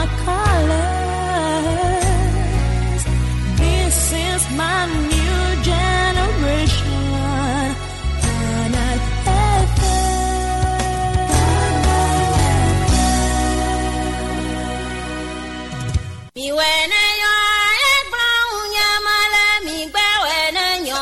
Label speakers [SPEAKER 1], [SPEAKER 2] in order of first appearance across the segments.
[SPEAKER 1] my colors. This is my new generation. Canal FM.
[SPEAKER 2] Mi wene yɔ egblɔ ŋu nye me le mi gbɛ wene nyɔ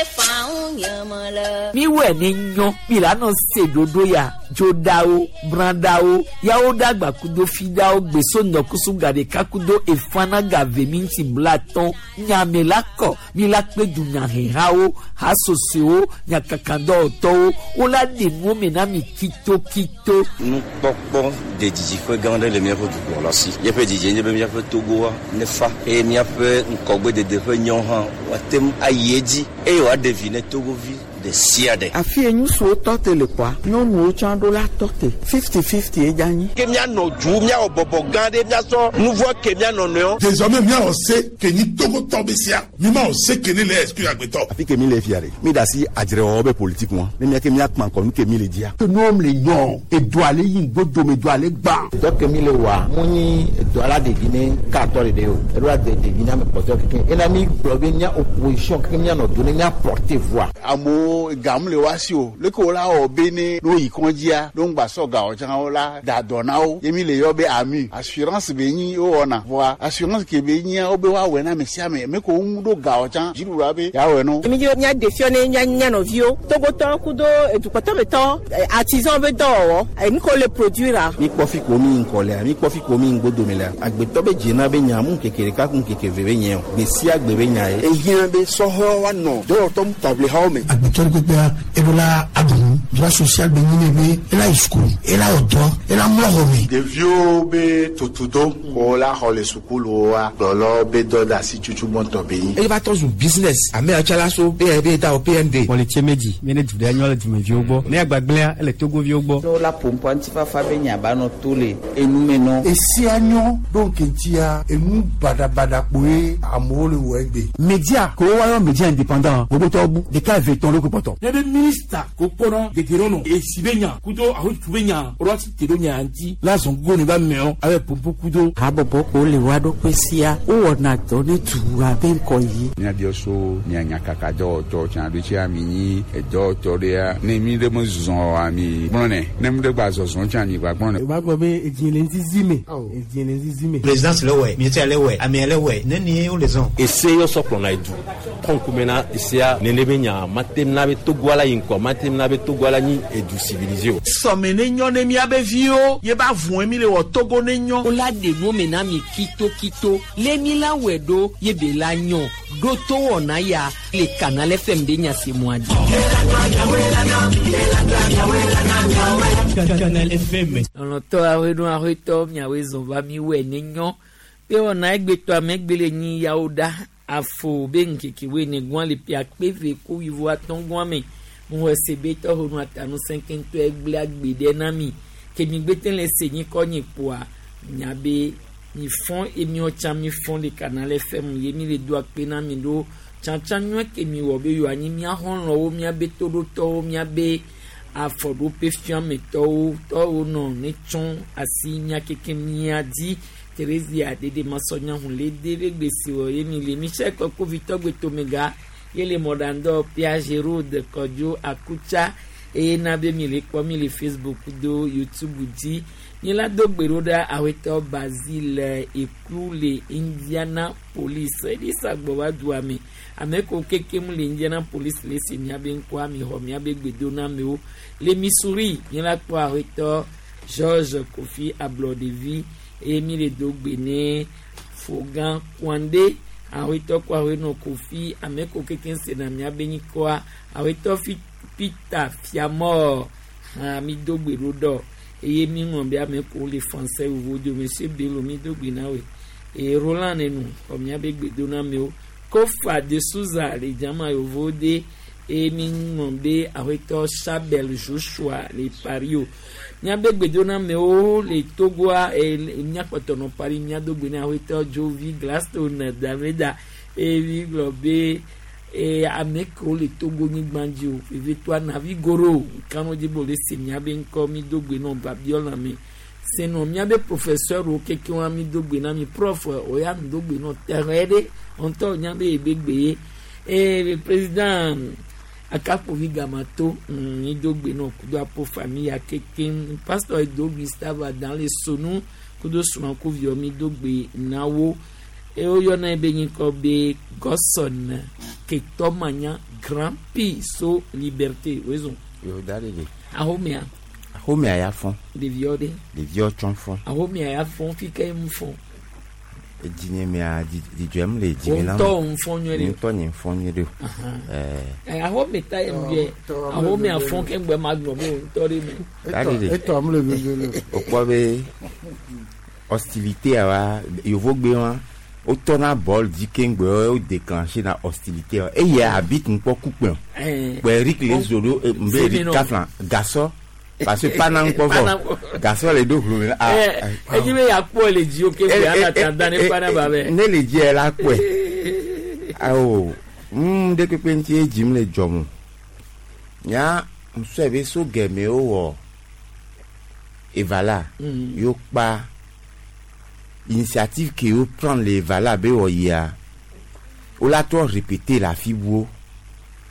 [SPEAKER 2] efa ŋu nye me le.
[SPEAKER 3] Miwɔe ne nyɔ mi la nɔ se ɖoɖo ya dzoɖawo brãɖawo yawo ɖagba kudo fiɖawo gbeso ŋdɔkusu gaɖeka kudo efana gave minti blatɔn nyame la kɔ mi la kpe dunyahehawo hasosoewo nyakakadɔwɔtɔwo wola ɖe nuwo me na mi kitokito.
[SPEAKER 4] Nukpɔkpɔ de didiƒe gã aɖe le míaƒe dukplɔla si. Míaƒe didie nye be míaƒe Togoa nefa eye míaƒe ŋkɔgbedede ƒe nyɔ hã woate ŋu ayi edzi eye wòaɖe vi ne Togovi ɖe sia ɖe.
[SPEAKER 5] Afi ye ŋutsuwo tɔ te le kɔa, nyɔnuwo tsã ɖo la tɔ te. 50-50 ye dza nyi.
[SPEAKER 6] Ke míanɔ du míawɔ bɔbɔ gã ɖe míasɔ nu vɔ ke míanɔ nɔewo.
[SPEAKER 7] Désormais míawɔ se ke nyi Togotɔ be sia mi ma wɔ se ke ne le exclure agbetɔ.
[SPEAKER 8] Afi ke mi le fia ɖe mi da asi adzrewɔwɔ be politique ŋua ne miake miakpã kɔ nu ke mi le dzia.
[SPEAKER 9] Ke nuwo le nyɔ edoa le yi ŋgbodome doa le gbã.
[SPEAKER 10] Dɔ ke mi le wɔa mu nyi edɔ la ɖevi ne katɔ ɖeɖe o eɖo la de ɖevi ne ame kpɔtɔe kekeŋ ena mi gblɔ be mía opposition kekeŋ míanɔ do ne mía porter voix.
[SPEAKER 11] Amewo gamu le wa si o leke wo la wɔ be ne ne woyi kɔndzia ne ŋgba sɔ gawo tsã wo la da dɔ na wo ye mi le yɔ be ami assurance be nyi wowɔna vɔa assurance ke be nyia wo be woawɔe na ame sia ame ame ko ŋu ɖo gawo tsã dziɖuɖua be yeawɔe no.
[SPEAKER 12] Mi dzi mía ɖe fiɔ ne mía mía nɔviwo Togotɔwo kudo edukpɔtɔmetɔ artisan be dɔwɔwɔ enu ko le produire a.
[SPEAKER 13] Mi kpɔ fi ko mi ŋkɔ lea mi kpɔ fi ko mi ŋgbodome lea agbetɔ be dzena be nya mu ŋkeke ɖeka ku ŋkeke ve be nye o gbe sia gbe be nya ye.
[SPEAKER 14] Ehiã be sɔhɛwo woanɔ dɔwɔtɔ taʋlihawo me.
[SPEAKER 15] Agbetɔ ɖe kpekpea eɖo la aɖu nu droit social be nyi ne be ela yi sukulu ela wɔ dɔ ela mlɔ xɔ me.
[SPEAKER 16] Ɖeviwo be tutudo ko la xɔ le sukuluwoa kplɔlɔwo be dɔ de asi tutu gbɔntɔ be nyi.
[SPEAKER 17] Eye va trɔ zu business ame yawo la so be da o PND.
[SPEAKER 18] Kpɔlitse medzi mi ne du ɖe nyɔ le dumeviwo gbɔ ne agbagblẽa ele togoviwo gbɔ.
[SPEAKER 19] Ne wola ƒoƒoa ŋutifafa be nya ba nɔ to le enume nɔ.
[SPEAKER 9] Esia nyɔ ɖo ŋkeŋtia enu baɖabaɖa kpoe amewo le wɔ egbe.
[SPEAKER 20] Media ko wa yɔ media indépendant gbogbotɔwo bu ɖeka eve tɔn ɖo kpɔtɔ.
[SPEAKER 21] Ne be minista ko kpɔnɔ gege nɔ esi be nya kudo ahotu be nya ɔlɔ ti te ɖo nya ŋuti la zɔn gogo ne ba mɛɔ abe popo kudo.
[SPEAKER 5] Habɔbɔ ko le wa ɖokui sia wowɔna dɔ ne dua be ŋkɔ yi.
[SPEAKER 22] Míabiɔ so mia nyakaka dɔwɔtɔ tsã ɖo tsia mi nyi edɔwɔtɔ ɖea ne mi ɖe me zɔzɔ oa mi gblɔnɛ ne mi ɖe gba zɔzɔ tsã mi gba gblɔnɛ.
[SPEAKER 23] O b'a gbɔ be edzi le ŋzizi me edzi le ŋzizi me.
[SPEAKER 24] Présidence le wɛ ministère le wɛ amea le wɛ nenie wo le zɔn.
[SPEAKER 25] Ese yɔ sɔ kplɔna edu tɔnkume na esea nene be nya mate na be Togoa la yi ŋkɔ mate na be Togoa la nyi edu civilisé o.
[SPEAKER 26] Sɔme ne nyɔ ne miabe viwo ye ba vɔe mi le wɔ Togo ne nyɔ.
[SPEAKER 3] Wola ɖe nuwo me na mi kitokito lé mi la wɔe ɖo ye be la nyɔ ɖo to wɔna ya le Canal FM ɖe nyasemua dzi.
[SPEAKER 27] Canal FM.
[SPEAKER 3] Lɔlɔtɔ aƒenɔ aƒetɔ miawoe zɔn va mi wɔe ne nyɔ be wɔna egbetɔ ame gbe le nyi yawo ɖa afo be ŋkeke woe ne gɔn le ƒe akpe ve ko wuivo atɔ̃ gɔn me ŋu ese be tɔxɔ nu atanu sɛnkɛntɔ egble agbe ɖe na mi ke mi gbete le se nyi kɔ nyi kpoa nya be mi fɔn emiɔ tsã mi fɔn le Canal FM ye mi le do akpe na mi ɖo tsãtsã nyuie ke mi wɔ be yewoa anyi mia xɔlɔ̃wo miabe toɖotɔwo miabe afɔɖoƒe fiametɔwo tɔwo nɔ ne tsɔ asi mia keke mia dzi Theresia dede masɔnyahun le de be gbèsè wɔ ye mi le Michel Kɔkovitɔ gbetomega ye le mɔɖandɔ Pia Gérald Kɔdzo Akutsa eye na be mi le kpɔ mi le Facebook do YouTube dzi mi la do gbe ɖo ɖa awetɔ Basile Eklu le Indianapolis eɖi sagbɔ va dua me ame ko kekem le Indianapolis le si miabe ŋkɔa mi xɔ miabe gbedoname le Missouri mi la kpɔ awetɔ George Kofi Ablɔɖevi eye mi le do gbe ne Fogan Kwande awetɔ kɔ awenɔ Kofi ame ko kekem sena miabe nyikɔa awetɔ fi Peter Fiamor hã mi do gbe ɖo ɖɔ eye mi ŋlɔ be ame ko le français vovo do monsieur Bello mi do gbe na woe eye Roland nenu xɔ miabe gbedonamewo Kofa de Souza le dzama yovo de eye mi ŋlɔ be awetɔ Chabel Joshua le Paris o miabe gbedonamewo le Togoa eye miakpɔtɔ nɔ Paris miado gbe na awetɔ Jovi Gladstone Dameda eye mi gblɔ be eye ame kewo le Togo nyigba dzi o vevitɔa Navi Goro kanu dzi be wòle se miabe ŋkɔ mi do gbe nɔ babiɔ lãme Senɔ miabe professeur wo keke wa mi do gbe na mi prof oya mi do gbe nɔ tɛrɛ ɖe ŋutɔ nya be ebe gbe ye ee président akakpovi gamato mi do gbe nɔ kudo apo famille ya keke pasteur edo Gustave dans le sonu kudo srɔ̃kuviwo mi do gbe na wo eye woyɔna ebe nyikɔ be Gɔsɔn Ketɔmanya Grand Prix so Liberté wezɔn.
[SPEAKER 10] Yo da ɖe ɖe.
[SPEAKER 3] Ahomea.
[SPEAKER 10] Ahomea ya fɔn.
[SPEAKER 3] Ɖeviwo ɖe.
[SPEAKER 10] Ɖeviwo tsɔ fɔn.
[SPEAKER 3] Ahomea ya fɔn fi ke mu fɔn.
[SPEAKER 10] Edzinye mea dzidzɔem le dzime na.
[SPEAKER 3] Ŋutɔ ŋu fɔn nyuie ɖe.
[SPEAKER 10] Ŋutɔ nye fɔn nyuie ɖe.
[SPEAKER 3] Ɛɛ. Ahome ta ye mu yɛ ahomea fɔn ke ŋgbɛ ma gblɔ be ŋutɔ ɖe me.
[SPEAKER 10] Da ɖe ɖe.
[SPEAKER 9] Etɔ amu le veve le.
[SPEAKER 10] Okpɔ be hostilité wa yovogbe wa wotɔna bɔl dzi keŋgbe wo déclenché na hostilité wa eye habit ŋkpɔ kukpe kpɛ Eric le zo ɖo nbe Eric kafla gasɔ parce que pana ŋkpɔ vɔ gasɔ le ɖo hlome
[SPEAKER 3] ah edzi be yakpɔ le dzi o ke ƒe ana ta da ne pana ba bɛ
[SPEAKER 10] ne le dzi yɛ la kpɔe awo ɖe kpekpe ŋuti ye dzim le dzɔm nya ŋusɔ be so gɛmɛ wowɔ evala yio kpa initiative ke wo prendre le evala be wɔ yia wo la trɔ répéter la fi buwo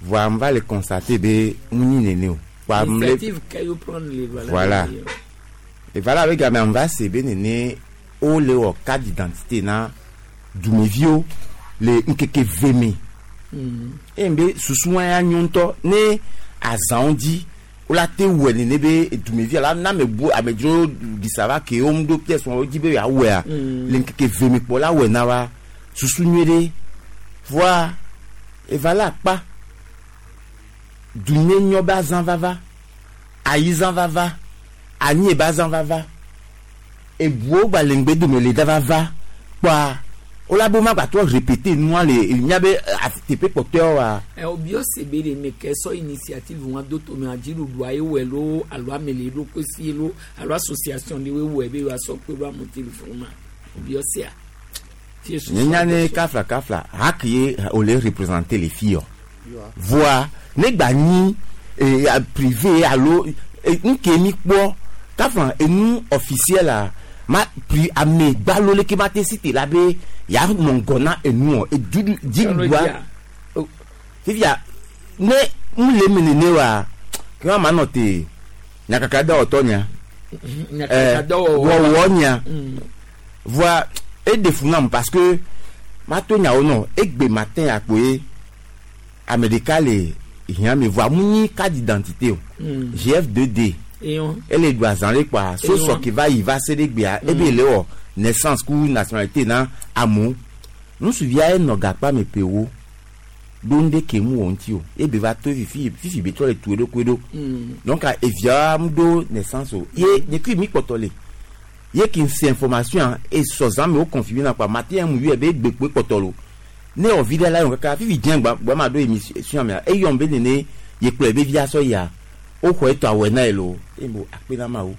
[SPEAKER 10] voa n va le constater be ŋu nyi nene o.
[SPEAKER 3] Kpa initiative ke wo prendre le evala.
[SPEAKER 10] Voilà evala be game n va se be nene wo le wɔ carte d'identité na dumeviwo le ŋkeke ve me. Eye be susu wa ya nyo ŋutɔ ne azãwo dzi wola te wɔe nene be dumevi ala na ame bu amedzro ɖisa va ke wo ŋu ɖo pièce wo dzi be yeawɔea le ŋkeke ve me kpɔ la wɔe na wa susu nyuie ɖe voa eva la akpa dunye nyɔ be azã vava ayizã vava anyi be azã vava ebuwo gba le ŋgbe dome le da vava kpɔa wola be woma gbatrɔ répéter nua le nya be teƒe kpɔtɔewo wa.
[SPEAKER 3] Ɛ obiɔ se be ɖe me ke sɔ initiative wa do tome adziɖuɖua ye wɔe lo alo ame le eɖokui si lo alo association ɖe woe wɔe be yewoasɔ kpe ɖo amewo téléphone ma obiɔ sea.
[SPEAKER 10] Nye nya ne kafla kafla hak ye wòle représenter le fi yɔ voa ne gba nyi privé alo nke mi kpɔ kafla enu officiel la ma pri ame gbalo leke ma te cité la be ya nɔ ŋgɔ na enuɔ edudu dziɖuɖua fifia ne mu le eme nene wa ke wa ma nɔ te nyakaka dɔwɔtɔ nya wɔwɔ nya voa eɖe fu nam parce que ma to nyawo nɔ egbe matin akpoe ame ɖeka le hiã me voa mu nyi carte d'identité o GF2D ele ɖu azã ɖe kpoa sosɔ ke va yi va se ɖe gbea ebe le wɔ naissance ku nationalité na amewo ŋutsuvia enɔ gakpa me ƒewo ɖo ŋɖe ke mu wɔ ŋuti o ebe va to fifi fifi be trɔ le tu eɖokui ɖo donc evia mu ɖo naissance o ye nye kui mi kpɔtɔ le ye ki se information e sɔ zã me wo confirmer na kpoa matin mu yɔe be egbe kpoe kpɔtɔ lo ne wɔ vi ɖe la yɔ kaka fifi dze gba gba ma ɖo émission mea eyɔm be nene ye kplɔ ebe via sɔ yia woxɔ etɔ awɔe na ye lo eye mo akpe na ma wo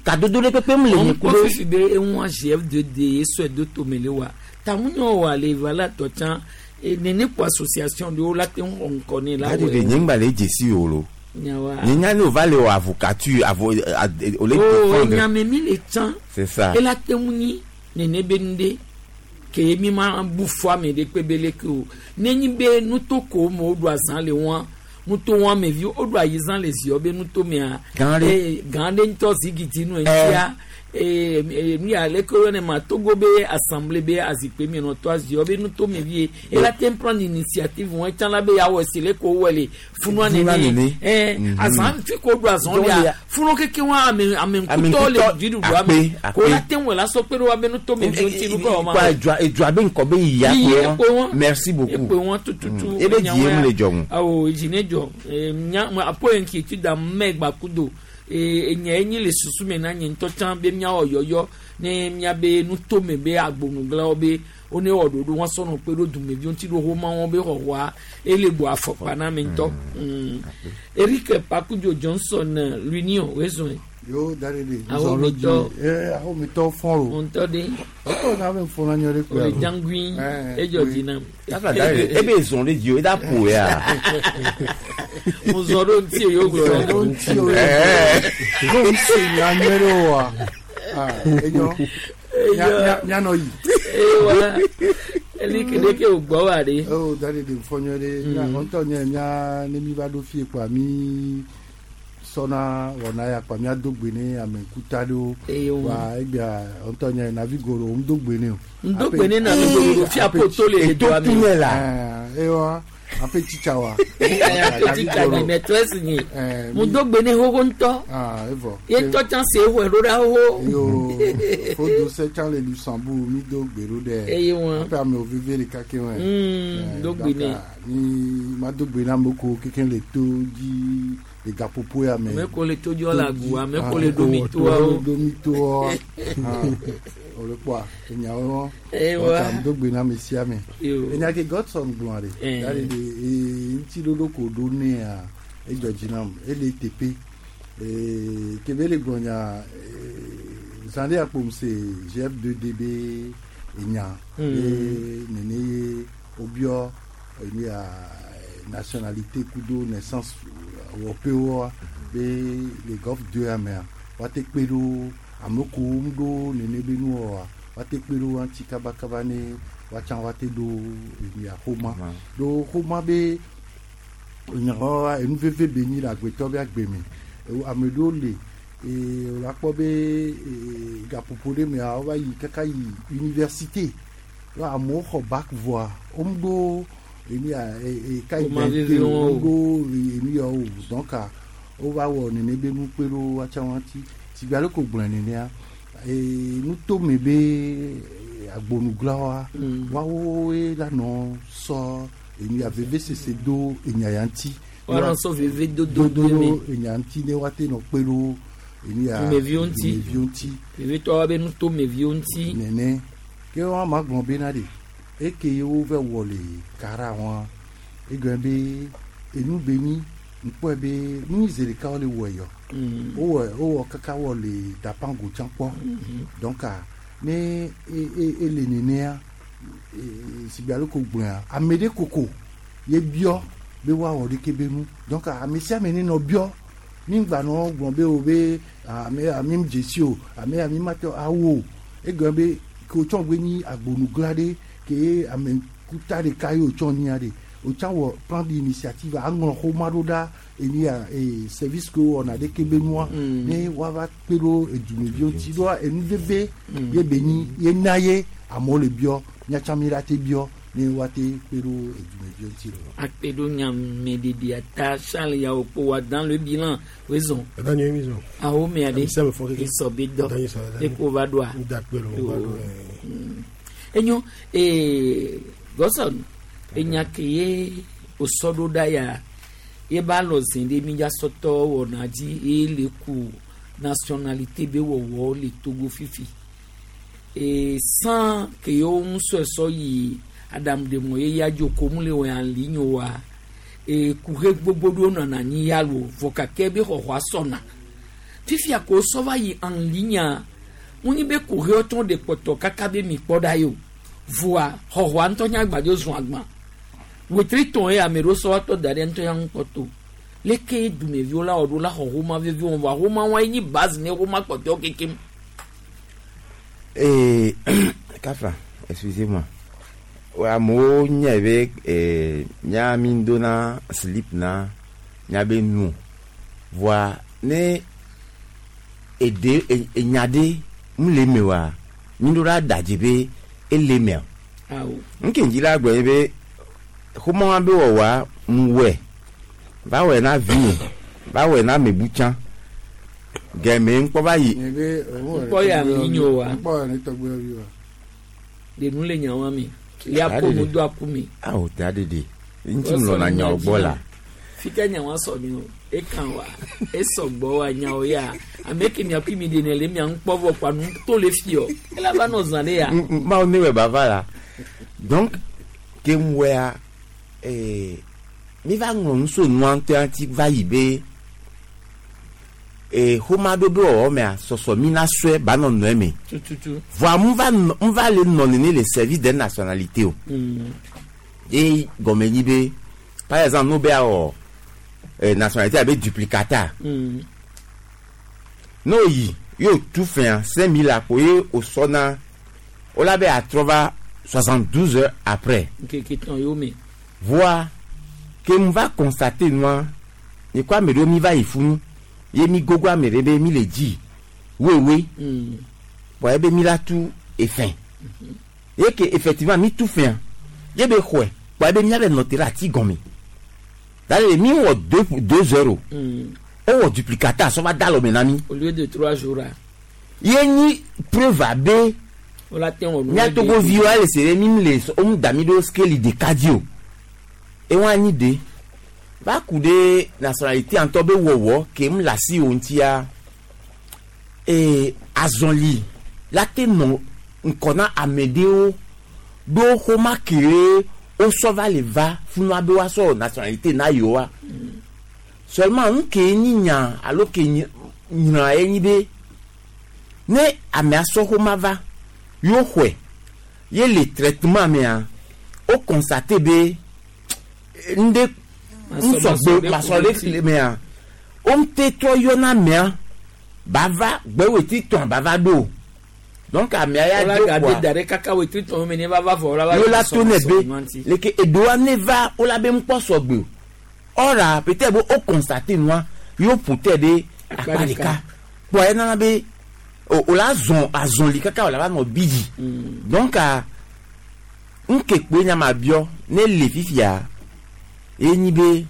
[SPEAKER 10] kadodo ɖe kpekpe mu le nye ku
[SPEAKER 3] ɖo. Fifi be eŋua GF2D ye sɔe do tome le wa taŋunyɔ wa le va la tɔ tsã nene kpo association ɖewo la te ŋu xɔ ŋkɔ ne la
[SPEAKER 10] wɔe. Gadi nye ŋgba le dzesi o lo. Nye nya ne o va le wɔ avocature avo o le
[SPEAKER 3] défendre. O nyame mi le tsã.
[SPEAKER 10] C'est ça.
[SPEAKER 3] Ela te ŋu nyi nene be nu ɖe ke mi ma bu fɔ ame ɖe kpe be leke o nenyi be nutoko me woɖu azã le wɔa nuto wɔn ame vi woɖu ayizã le ziɔ be nuto mea.
[SPEAKER 10] Gã ɖe.
[SPEAKER 3] Gã ɖe ŋutɔ zigidi nu eŋutia nu ya leke woyɔnɛ ma Togo be assemblée be azikpui mi nɔ tɔ aziɔ be nuto me vie ela te prendre initiative wɔn etsã la be yawɔ si leke wowɔ le funua nene azã fi ko ɖu azã lia funu keke wɔn ame ame ŋkutɔ le dziɖuɖua me ko la te ŋu la sɔ kpe ɖe wa be nuto me vi ŋuti nu kɔ wɔn ma.
[SPEAKER 10] Edua edua be ŋkɔ be yia kpe wɔn merci beaucoup
[SPEAKER 3] ekpe wɔn tututu
[SPEAKER 10] ebe dzi ye mu le dzɔ ŋu.
[SPEAKER 3] Awo edzi ne dzɔ nya apo yi ŋki ti da mɛ gbakudo enye enyi le susu me na nye ŋutɔ tsã be míawɔ yɔyɔ ne míabe nutome be agbonuglawo be wone wɔ ɖoɖo wɔn sɔnɔ kpe ɖo dumeviwo ŋuti ɖo xɔma wɔn be xɔxɔa ele bo afɔkpa na ame ŋutɔ. Eric Pakudzo Johnson l'Union wezɔn.
[SPEAKER 9] Yo dari de.
[SPEAKER 3] Ahomitɔ.
[SPEAKER 9] Ahomitɔ fɔn o.
[SPEAKER 3] Ŋutɔ de.
[SPEAKER 9] Ɔtɔ n'a bɛ fɔn na ɲɔ de
[SPEAKER 3] kpe. O le jangui edzɔ dzi nam.
[SPEAKER 10] E bɛ zɔn de dzi o e da ƒo ya.
[SPEAKER 3] Mo zɔn ɖo ŋuti o yóò gblɔ.
[SPEAKER 9] Zɔn ɖo ŋuti o. N'o se nya nyuie ɖe o wa. Enyo mianɔ yi.
[SPEAKER 3] Ewa eli kele ke o gbɔ wa de.
[SPEAKER 9] O da de de fɔ nyuie ɖe ŋutɔ nye mía ne mi va ɖo fie kpoa mi sɔna wɔna ya kpoa míado gbe ne ame ŋkuta ɖewo. Wa egbea ŋutɔ nye navi goro ŋdo gbe ne o.
[SPEAKER 3] Ŋdo gbe ne navi goro fia poto le doa mi.
[SPEAKER 9] Ewa ape tsitsa wa.
[SPEAKER 3] Ape tsitsa ni maîtresse ni. Ŋdo gbe ne xoxo ŋutɔ.
[SPEAKER 9] Evɔ.
[SPEAKER 3] Ye tɔ tsã se xɔe ɖo ɖa xoxo.
[SPEAKER 9] Yo fodo se tsã le Luxembourg mi do gbe ɖo ɖe.
[SPEAKER 3] Eye wɔn.
[SPEAKER 9] Ape amewo veve ɖeka ke wɔn.
[SPEAKER 3] Do gbe ne.
[SPEAKER 9] Mi ma do gbe na amewo ko keke le to dzi le gaƒoƒo ya me.
[SPEAKER 3] Ame ko le to dzi le agu ame ko le ɖomi toa.
[SPEAKER 9] Ɖomi toa. O le kpɔa enyawo wɔn. Do gbe na ame sia ame. Enya ke Godson gblɔ ɖe. Ya ɖe ɖe ŋuti ɖoɖo ko ɖo nea edzɔ dzi nam ele teƒe. Kebe le gblɔ nya zã ɖe akpom se GF2D be enya. Be nene ye wobiɔ enu ya nationalité kudo naissance wɔƒewoa be le golf 2 ya mea woate kpe ɖo ame kewo ɖo nene be nuwɔwɔa woate kpe ɖo ŋuti kabakaba ne woatsã woate ɖo enu ya xoma ɖo xoma be nyawoa enu veve be nyi le agbetɔ be agbe me ame ɖewo le wòle akpɔ be gaƒoƒo ɖe mea wova yi kaka yi université amewo xɔ bac voa womeɖo enu ya ka identité womeɖo enu ya o donc wova wɔ nene be nu kpe ɖo woatsã woati sigbe ale ko gblɔe nenea nutome be agbonuglawoa woawoe la nɔ sɔ enu ya vevesese do enya ya ŋuti.
[SPEAKER 3] Woanɔ sɔ veve dodo
[SPEAKER 9] do enya ŋuti ne woate nɔ kpe ɖo enu ya
[SPEAKER 3] dumeviwo ŋuti
[SPEAKER 9] dumeviwo ŋuti.
[SPEAKER 3] Vevetɔwo be nutomeviwo ŋuti.
[SPEAKER 9] Nene ke wɔn ma gblɔ bena de eke ye wova wɔ le kara wɔn egɔme be enu be nyi ŋkpɔe be nu zi ɖeka wole wɔe yɔ wowɔ wowɔ kaka wɔ le dapango tsã kpɔ donc ne ele nenea sigbe ale ko gblɔa ame ɖe koko ye biɔ be woawɔ ɖeke be nu donc ame sia ame ne nɔ biɔ mi ŋgba nɔ gblɔ be o be ame ami dzesi o ame ami ma tɔ awo o egɔme be ke wotsɔ gbe nyi agbonugla ɖe ke ame kuta ɖeka ye wotsɔ nyia ɖe wotsã wɔ plan d'initiative aŋlɔ xoma ɖo ɖa enu ya service ke wowɔna ɖeke be nua ne woava kpe ɖo edumeviwo ŋuti ɖoa enu veve ye be nyi ye na ye amewo le biɔ míatsã mi la te biɔ ne woate kpe ɖo edumeviwo ŋuti lo.
[SPEAKER 3] Akpe ɖo nyameɖeɖia ta Charles yawo kpo wa dans le bilan wezɔn. Awo mea ɖe esɔ be dɔ eko va ɖoa. Enyo Godson enya ke ye osɔ ɖo ɖa ya ye ba lɔ zi ɖe mi dza sɔtɔ wɔna dzi ye le ku nationalité be wɔwɔ le Togo fifi. San ke yewo ŋusɔ sɔ yi aɖaŋuɖemɔ ye ya dzo ko mu le wɔ en ligne wa kuxe gbogbo ɖewo nɔna anyi ya lo vɔ gake be xɔxɔa sɔna fifia ko sɔ va yi en ligne ŋunyi be kuxewo tɔ ɖe kpɔtɔ kaka be mi kpɔ ɖa yi o voa xɔxɔa ŋutɔ nye agbadzo zɔn agbã wetri tɔn ye ame ɖewo sɔ wa tɔ da ɖe ŋutɔ ya ŋu kpɔtɔ leke dumeviwo la wɔ ɖo la xɔ xoma vevi wɔn voa xoma wa nyi base ne xoma kpɔtɔwo kekem.
[SPEAKER 10] Kafa, excusez-moi. Amewo nye be mía mi dona slip na míabe nu voa ne eɖe enya ɖe mu le eme oa mi ɖo la da dzi be ele emea.
[SPEAKER 3] Awo.
[SPEAKER 10] Nke ŋdzi la gblɔ ye be xoma be wɔwɔa mu wɔe va wɔe na vinye va wɔe na amebu tsã gɛmɛ ŋkpɔ va yi.
[SPEAKER 3] Ŋkpɔ ya mi nyo wa.
[SPEAKER 9] Ŋkpɔ ya ne tɔgbe vi wa.
[SPEAKER 3] De nu le nya wa mi. Ya ko mu do aku mi.
[SPEAKER 10] Awo ta ɖeɖe ŋuti mu lɔna nyawo gbɔ la.
[SPEAKER 3] Fika nya wa sɔ mi o ekan wa esɔ gbɔ wa nyawo ya ame ke mia kui mi de ne le mia ŋkpɔ vɔ kpa nu to le fi yɔ ela va nɔ zã ɖe ya.
[SPEAKER 10] Mawu ne wɔ bava la donc ke mu wɔa mi va ŋlɔ nu so nua ŋutɔ ŋuti va yi be xoma ɖo be wɔwɔ mea sɔsɔ mi na sɔe ba nɔ nɔe me.
[SPEAKER 3] Tututu.
[SPEAKER 10] Voa mu va nɔ mu va le nɔ nene le service des nationalités o. Ye gɔme nyi be par exemple n'o be awɔ nationalité abe duplicata. N'o yi Ye tu fɛn 5000 akpo ye o sɔna o la be atrɔ va 72 heures après.
[SPEAKER 3] Nkeke tɔn yóò mi.
[SPEAKER 10] Voa ke mu va constater nua nye kɔ ame ɖewo mi va yi funu ye mi gogo ame ɖe be mi le dzi wewe bɔn ebe mi la tu efɛn ye ke effectivement mi tu fɛn ye be xɔe bɔn ebe mia be nɔ te ɖe ati gɔme dale mi wɔ 2 heures o o wɔ duplicata sɔ va da alɔme na mi.
[SPEAKER 3] Au lieu de 3 jours a.
[SPEAKER 10] Ye nyi preuve abe
[SPEAKER 3] o la tɛ wɔ nu.
[SPEAKER 10] Mía togoviwo ale se ɖe mi le wo mu da mi ɖo scale ɖeka dzi o ewa anyi de va ku ɖe nationalité ŋutɔ be wɔwɔ ke mu le asi wo ŋutia ee azɔli la te nɔ ŋkɔ na ame ɖewo ɖo xɔma ke wosɔ va le va funua be woasɔ nationalité na yewoa seulement nu ke nyi nya alo ke nyra ye nyi be ne amea sɔ xɔma va yewo xɔe ye le traitement mea wo constate be ŋɖe ŋusɔgbe masɔ ɖe le mea wo ŋute trɔ yɔna amea ba va gbɛweti tɔn ba va ɖo donc amea ya
[SPEAKER 3] do
[SPEAKER 10] do
[SPEAKER 3] kpoa
[SPEAKER 10] kpoa
[SPEAKER 3] da ɖe kaka wetri tɔn mi ne va va vɔ la va.
[SPEAKER 10] Yo la to ne be leke eɖoa ne va wo la be ŋkpɔ sɔgbe o ɔra peut-être be wo constate nua yewo ƒo te ɖe akpa ɖeka kpoa enana be o la zɔn azɔli kaka o la va nɔ bi dzi donc a ŋke kpoe nya ma biɔ ne le fifia ye nyi be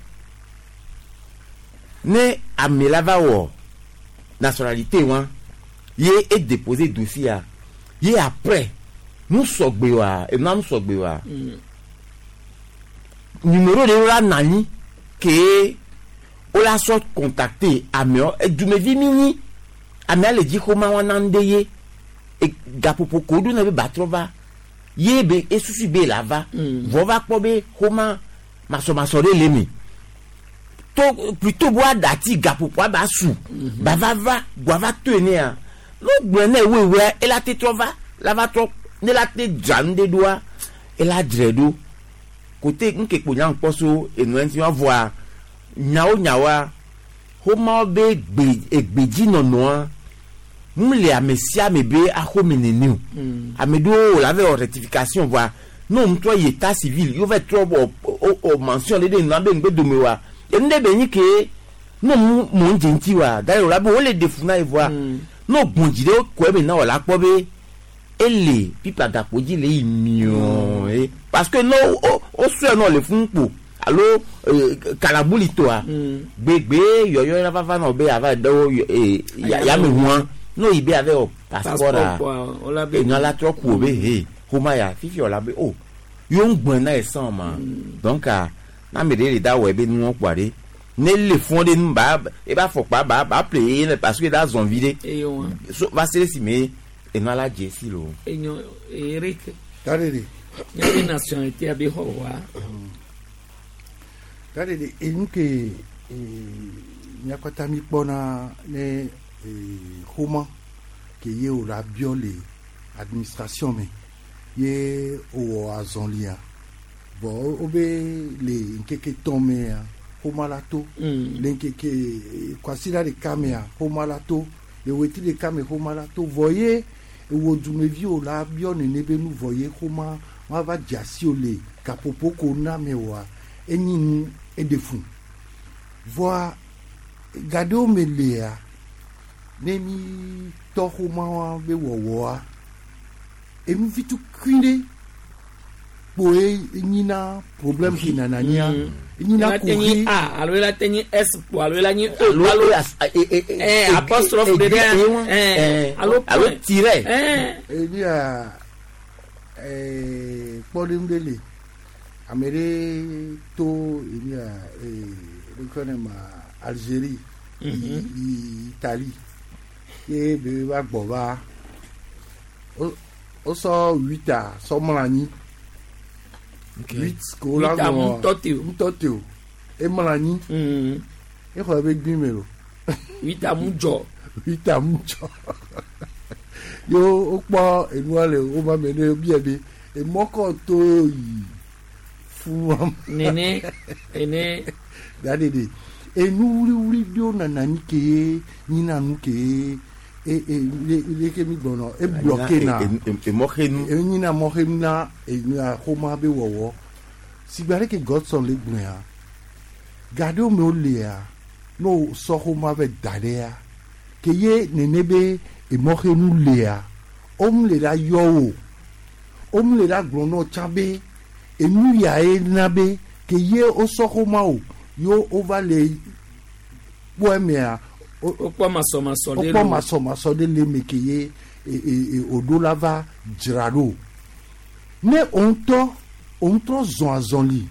[SPEAKER 10] ne ame la va wɔ nationalité wa ye e déposer dossier a ye après nu sɔgbe wa enua nu sɔgbe wa numéro de la nani ke o la sɔ contacter amewo edumevi mi nyi amea le dzi xɔma wa na ŋɖe ye e gaƒoƒo ko ɖo na be batrɔ va ye be esusu be la va vɔ va kpɔ be xɔma masɔmasɔ ɖe le mi to plutôt bo aɖati gaƒoƒoa ba su ba va va gbɔ va to enea no gblɔ ne wewea ela te trɔ va la va trɔ ne la te dzra nu ɖe ɖoa ela dzrae ɖo kote ŋke kpo nya ŋkpɔ so enua ŋuti wa vɔa nyawo nyawoa xomawo be gbe egbedzinɔnɔa mu le ame sia ame be axome nene o ame ɖewo wò la va wɔ rectification vɔa ne wo ŋutɔ yi état civil yewo va trɔ wɔ o mention ɖe ɖe nua be ŋgbe dome wa enu ɖe be nyi ke ne mu mo ŋdze ŋuti wa d'ailleurs wòla be wole ɖe fu na ye vɔa ne wo gbɔn dzi ɖe kɔ eme na wò la kpɔ be ele pipa gakpo dzi le yi miɔɔ ye parce que ne wo wo sɔe nɔ le fún kpo alo kalabuli toa gbegbe yɔyɔ la va va nɔ be ava ɖewo yameʋua n'o yi be ava wɔ passeport a enua la trɔ ku o be he xɔma ya fifi wòla be o yewo ŋu gbɔn na ye sɔn ma donc a n'ame ɖe le da wɔ ebe nuwɔ kpoa ɖe ne le fún ɖe nu ba ebe afɔkpa ba ba ple ye ne parce que da zɔn vi ɖe so va se ɖe si me enua la dze si lo.
[SPEAKER 3] Enyo Eric.
[SPEAKER 9] Dadede.
[SPEAKER 3] Nye nationalité abe xɔ wa.
[SPEAKER 9] Dadede enu ke míakpata mi kpɔna ne xɔma ke ye o la biɔ le administration me ye o wɔ azɔlia bɔn wo be le ŋkeke tɔn mea xɔma la to le ŋkeke kwasiɖa ɖeka mea xɔma la to le wetri ɖeka me xɔma la to vɔ ye ewo dumevi o la biɔ nene be nu vɔ ye xɔma wa va dze asi o le gaƒoƒo ko na me oa enyi nu eɖe fun vɔa gaɖewo me lea ne mi tɔ xɔma wa be wɔwɔa enu vitukui ɖe kpoe nyina problème ke nana nyia nyina
[SPEAKER 3] kuxi a alo ela te nyi s kpo alo ela nyi o alo apostrophe ɖe ɖe alo
[SPEAKER 10] alo tiret.
[SPEAKER 9] Ebi a kpɔɖeŋu ɖe le ame ɖe to ebi a ɖekɔ ne ma Algérie yi Italie ye be va gbɔ va wosɔ huit a sɔ mlɔ anyi huit ko la ŋlɔ ŋutɔ te o emlɔ anyi exɔ ebe gbi me lo.
[SPEAKER 3] Huit a mu dzɔ.
[SPEAKER 9] Huit a mu dzɔ yo wokpɔ enua le wo ma me ne bia be emɔkɔ to yi fún wa.
[SPEAKER 3] Nene ene.
[SPEAKER 9] Dadede enu wliwli ɖewo nana anyi ke nyina nu ke e e leke mi gblɔnɔ e bloqué na
[SPEAKER 10] emɔxenu
[SPEAKER 9] enyina mɔxenu na enya xɔma be wɔwɔ sigba ɖe ke Godson le gblɔa ga ɖewo me wolea ne wosɔ xɔma vɛ da ɖea ke ye nene be emɔxenu lea womu le la yɔ wo womu le la gblɔ nɔ tsã be enu ya ye na be ke ye wosɔ xɔma o yo wova le kpɔ emea
[SPEAKER 3] wokpɔ masɔmasɔ ɖe
[SPEAKER 9] wokpɔ masɔmasɔ ɖe le eme ke ye òɖo la va dzra ɖo ne òŋutɔ òŋutɔ zɔn azɔli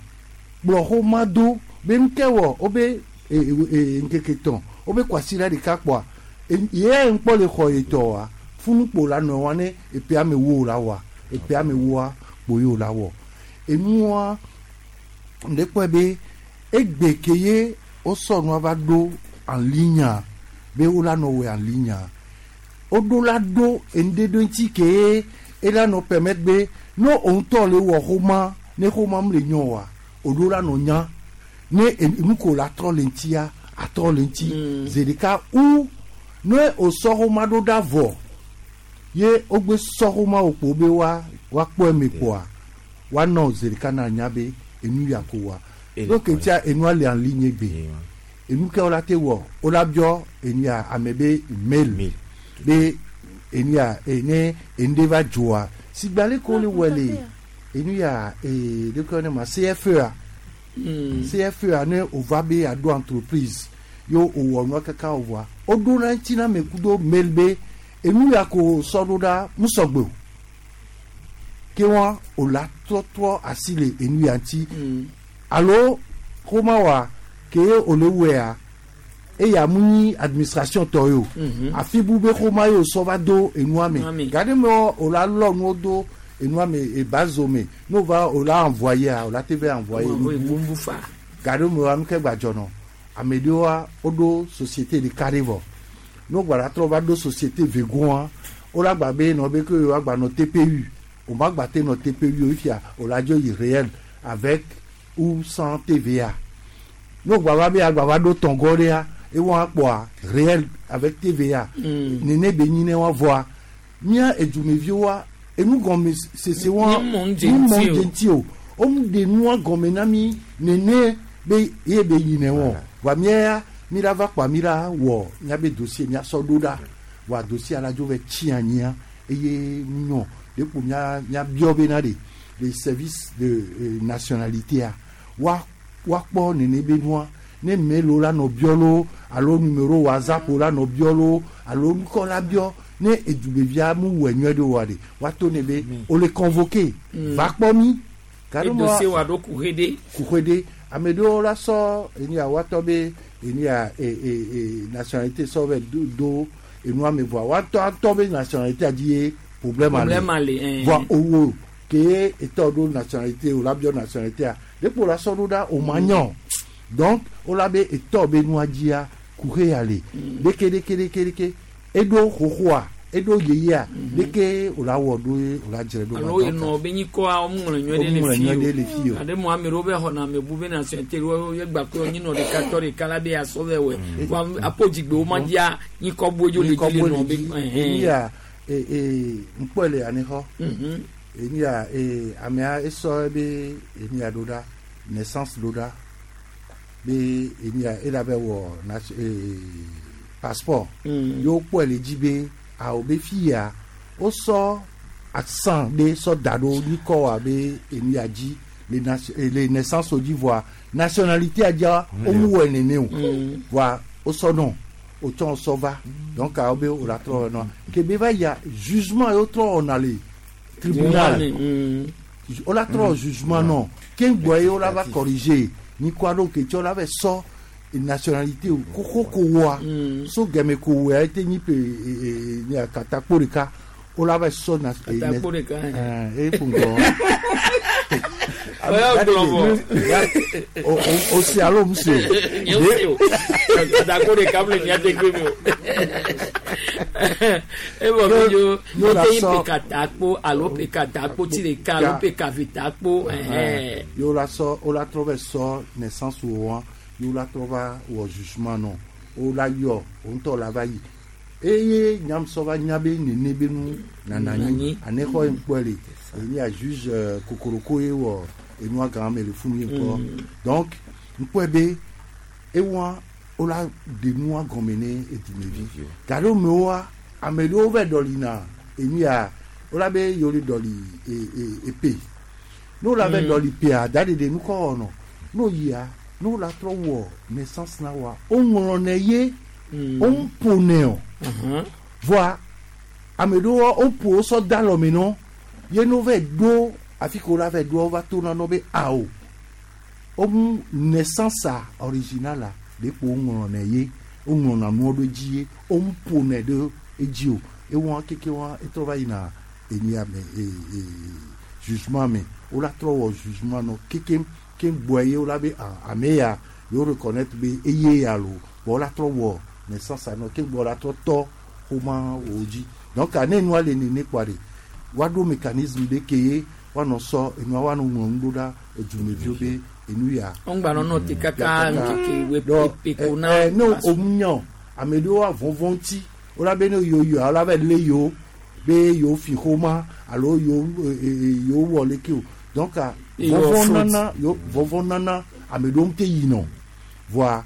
[SPEAKER 9] kplɔ xɔma do be ŋkɛ wɔ wobe ŋkeke tɔn wobe kwasiɖa ɖeka kpɔa ye ŋkpɔ le xɔ ye tɔ wa funukpo la nɔ wa ne epe ame wo la wa epe ame woa kpo ye o la wɔ enua ŋɖe kpɔe be egbe ke ye wosɔ nua va ɖo en ligne be wo la nɔ wɔ en ligne woɖo la ɖo enu ɖe ŋuti ke ye ela nɔ permettre be ne òŋutɔ le wɔ xɔma ne xɔma mu le nyɔ wa òɖo la nɔ nya ne enu ko la trɔ le ŋutia atrɔ le ŋuti zi ɖeka ou ne wòsɔ xɔma ɖo ɖa vɔ ye wogbe sɔ xɔma wò kpo be wa woakpɔ eme kpoa woanɔ zi ɖeka na nya be enu ya ko wa donc tia enua le en ligne gbe enu ke wola te wɔ wola biɔ enu ya ame be mail be enu ya ne enu ɖe va dzoa sigba le ko le wɔ le enu ya ee de ko ne ma CFEA CFEA ne wòva be aɖo entreprise yo wòwɔ nua kaka wòvɔa woɖo na ŋuti na ame kudo mail be enu ya ko sɔ ɖo ɖa musɔgbe o ke wa wòla trɔtrɔ asi le enu ya ŋuti alo xɔma wa ke wòle wɔea eya mu nyi administration tɔ ye o afi bu be xɔma ye wòsɔ va do enua me gaɖe me wòla lɔ nuwo do enua me ebazo me n'o va wòla envoyer wòla te va envoyer
[SPEAKER 3] nubu
[SPEAKER 9] gaɖe me wa nu ke gbadzɔ nɔ ame ɖewoa woɖo société ɖeka ɖe vɔ n'o gba la trɔ va ɖo société vegoa wola gba be nɔ be ke woagba nɔ TPU o ma gba te nɔ TPU o fia wòla dzo yi réel avec ou sans TVA n'o gba va be agba va ɖo tɔngɔ ɖea ewɔ akpɔa réel avec TVA nene be nyi ne wa vɔa mía edumeviwoa enu gɔme sese wa
[SPEAKER 3] nu mɔ
[SPEAKER 9] dze o womu ɖe nua gɔme na mi nene be ye be yi ne wɔ wa mía ya mi la va kpɔa mi la wɔ míabe dossier míasɔ ɖo ɖa wa dossier la dzo va tsi anyia eye nyɔ de kpo mía míabiɔ bena de le service de nationalité a wa woakpɔ nene be nua ne mail la nɔ biɔ lo alo numéro WhatsApp la nɔ biɔ lo alo nukɔ la biɔ ne edubevia mu wɔ nyuie ɖe wa de woato ne be o le convoqué va kpɔ mi.
[SPEAKER 3] Dossier wa ɖo kuxe ɖe.
[SPEAKER 9] Kuxe ɖe ame ɖewo la sɔ enu ya woatɔ be enu ya nationalité sɔ vɛ do enua me vɔa woatɔ atɔ be nationalité dzi ye problème
[SPEAKER 3] ale.
[SPEAKER 9] Vɔa owó ke etɔ ɖo nationalité o la biɔ nationalité a dekpo la sɔ ɖo ɖa o ma nyɔ donc o la be etɔ be nua dzia kuxe ya le ɖeke ɖeke ɖeke ɖeke eɖo xoxoa eɖo yeyea ɖeke o la wɔ ɖo ye o la dzre ɖo.
[SPEAKER 3] Alo enɔ be nyikɔa woŋlɔ nyuie ɖe le fi o aɖe mo ame ɖewo be xɔna ame bu be nationalité wo ye gba ko nyinɔ ɖeka tɔ ɖeka la be asɔ vɛ wɛ wa apodzigbe wo ma dzia nyikɔ bo dzo le dzi le nɔ be.
[SPEAKER 9] Eya ŋkpɔe le anixɔ eya amea esɔ be enia ɖo ɖa naissance ɖo ɖa be enia ela be wɔ passeport yewo kpɔe le dzi be awo be fia wosɔ accent ɖe sɔ da ɖo nyikɔ wa be enia dzi le naissance dzi vɔa nationalité dzia womu wɔe nene o vɔa wosɔ nɔ wotsɔ sɔ va donc awo be wo la trɔ nɔ ke be va yia jugement yewo trɔ wɔna le tribunal wo la trɔ jugement nɔ ke ŋgbɔ ye wo la va corriger nyikɔ aɖewo ke tsɔ la va sɔ nationalité o koko ko wɔa so gɛmɛ ko wɔa ete nyi pe katakpo ɖeka wo la va sɔ na
[SPEAKER 3] katakpo ɖeka
[SPEAKER 9] e ƒo ŋgɔ o si alo mu si
[SPEAKER 3] o katakpo ɖeka mu le mía de gbe mi o ebɔ mi dzo ete nyi pe katakpo alo pe katakpo ti ɖeka alo pe kavitakpo.
[SPEAKER 9] Yo la sɔ o la trɔ bɛ sɔ naissance wo wa yo la trɔ va wɔ jugement nɔ o la yɔ o ŋutɔ la va yi Eye nyam sɔ va nya be nene be nu nana anyi anexɔ ye ŋkpɔe le enye a juge kokoroko ye wɔ enua gã me le funu ye ŋkpɔ. Donc ŋkpɔe be ewa wola ɖe nua gɔme ne edumevi. Gaɖo mewoa ame ɖewo va ɖɔlina enu ya wola be yewo le ɖɔli epe. Ne wola va ɖɔli pea da ɖeɖe nukɔ wɔnɔ. Ne woyia ne wola trɔ wɔ naissance na woa woŋlɔnɛ ye woŋ ƒonɛ o. Voa ame ɖewo woƒo wosɔ da alɔme nɔ ye ne wova ɖo afi ke wola va ɖoa wova tona nɔ be awo womu naissance a original a ɖe kpo woŋlɔnɛ ye woŋlɔna nuwo ɖo edzi ye woŋ ƒonɛ ɖe edzi o ewɔ keke wa etrɔ va yina enu ya me e e jugement me wola trɔ wɔ jugement nɔ keke ke gbɔe ye wola be ah ame ya yewo reconnaître be eye ya lo bɔn wola trɔ wɔ naissance a nɔ ke gbɔ la trɔ tɔ xoma wo dzi donc ne nua le nene kpoa de woaɖo mécanisme ɖe ke ye woanɔ sɔ enua woanɔ ŋlɔ nu ɖo ɖa edumeviwo be enu ya.
[SPEAKER 3] Ŋgba nɔ te kaka ŋkeke we pepe ko na.
[SPEAKER 9] Ne o nya ame ɖewo avɔvɔ ŋuti wola be ne yewo yɔa wola va lé yewo be yewo fi xoma alo yewo yewo wɔ leke o donc vɔvɔ nana vɔvɔ nana ame ɖewo ŋute yinɔ voa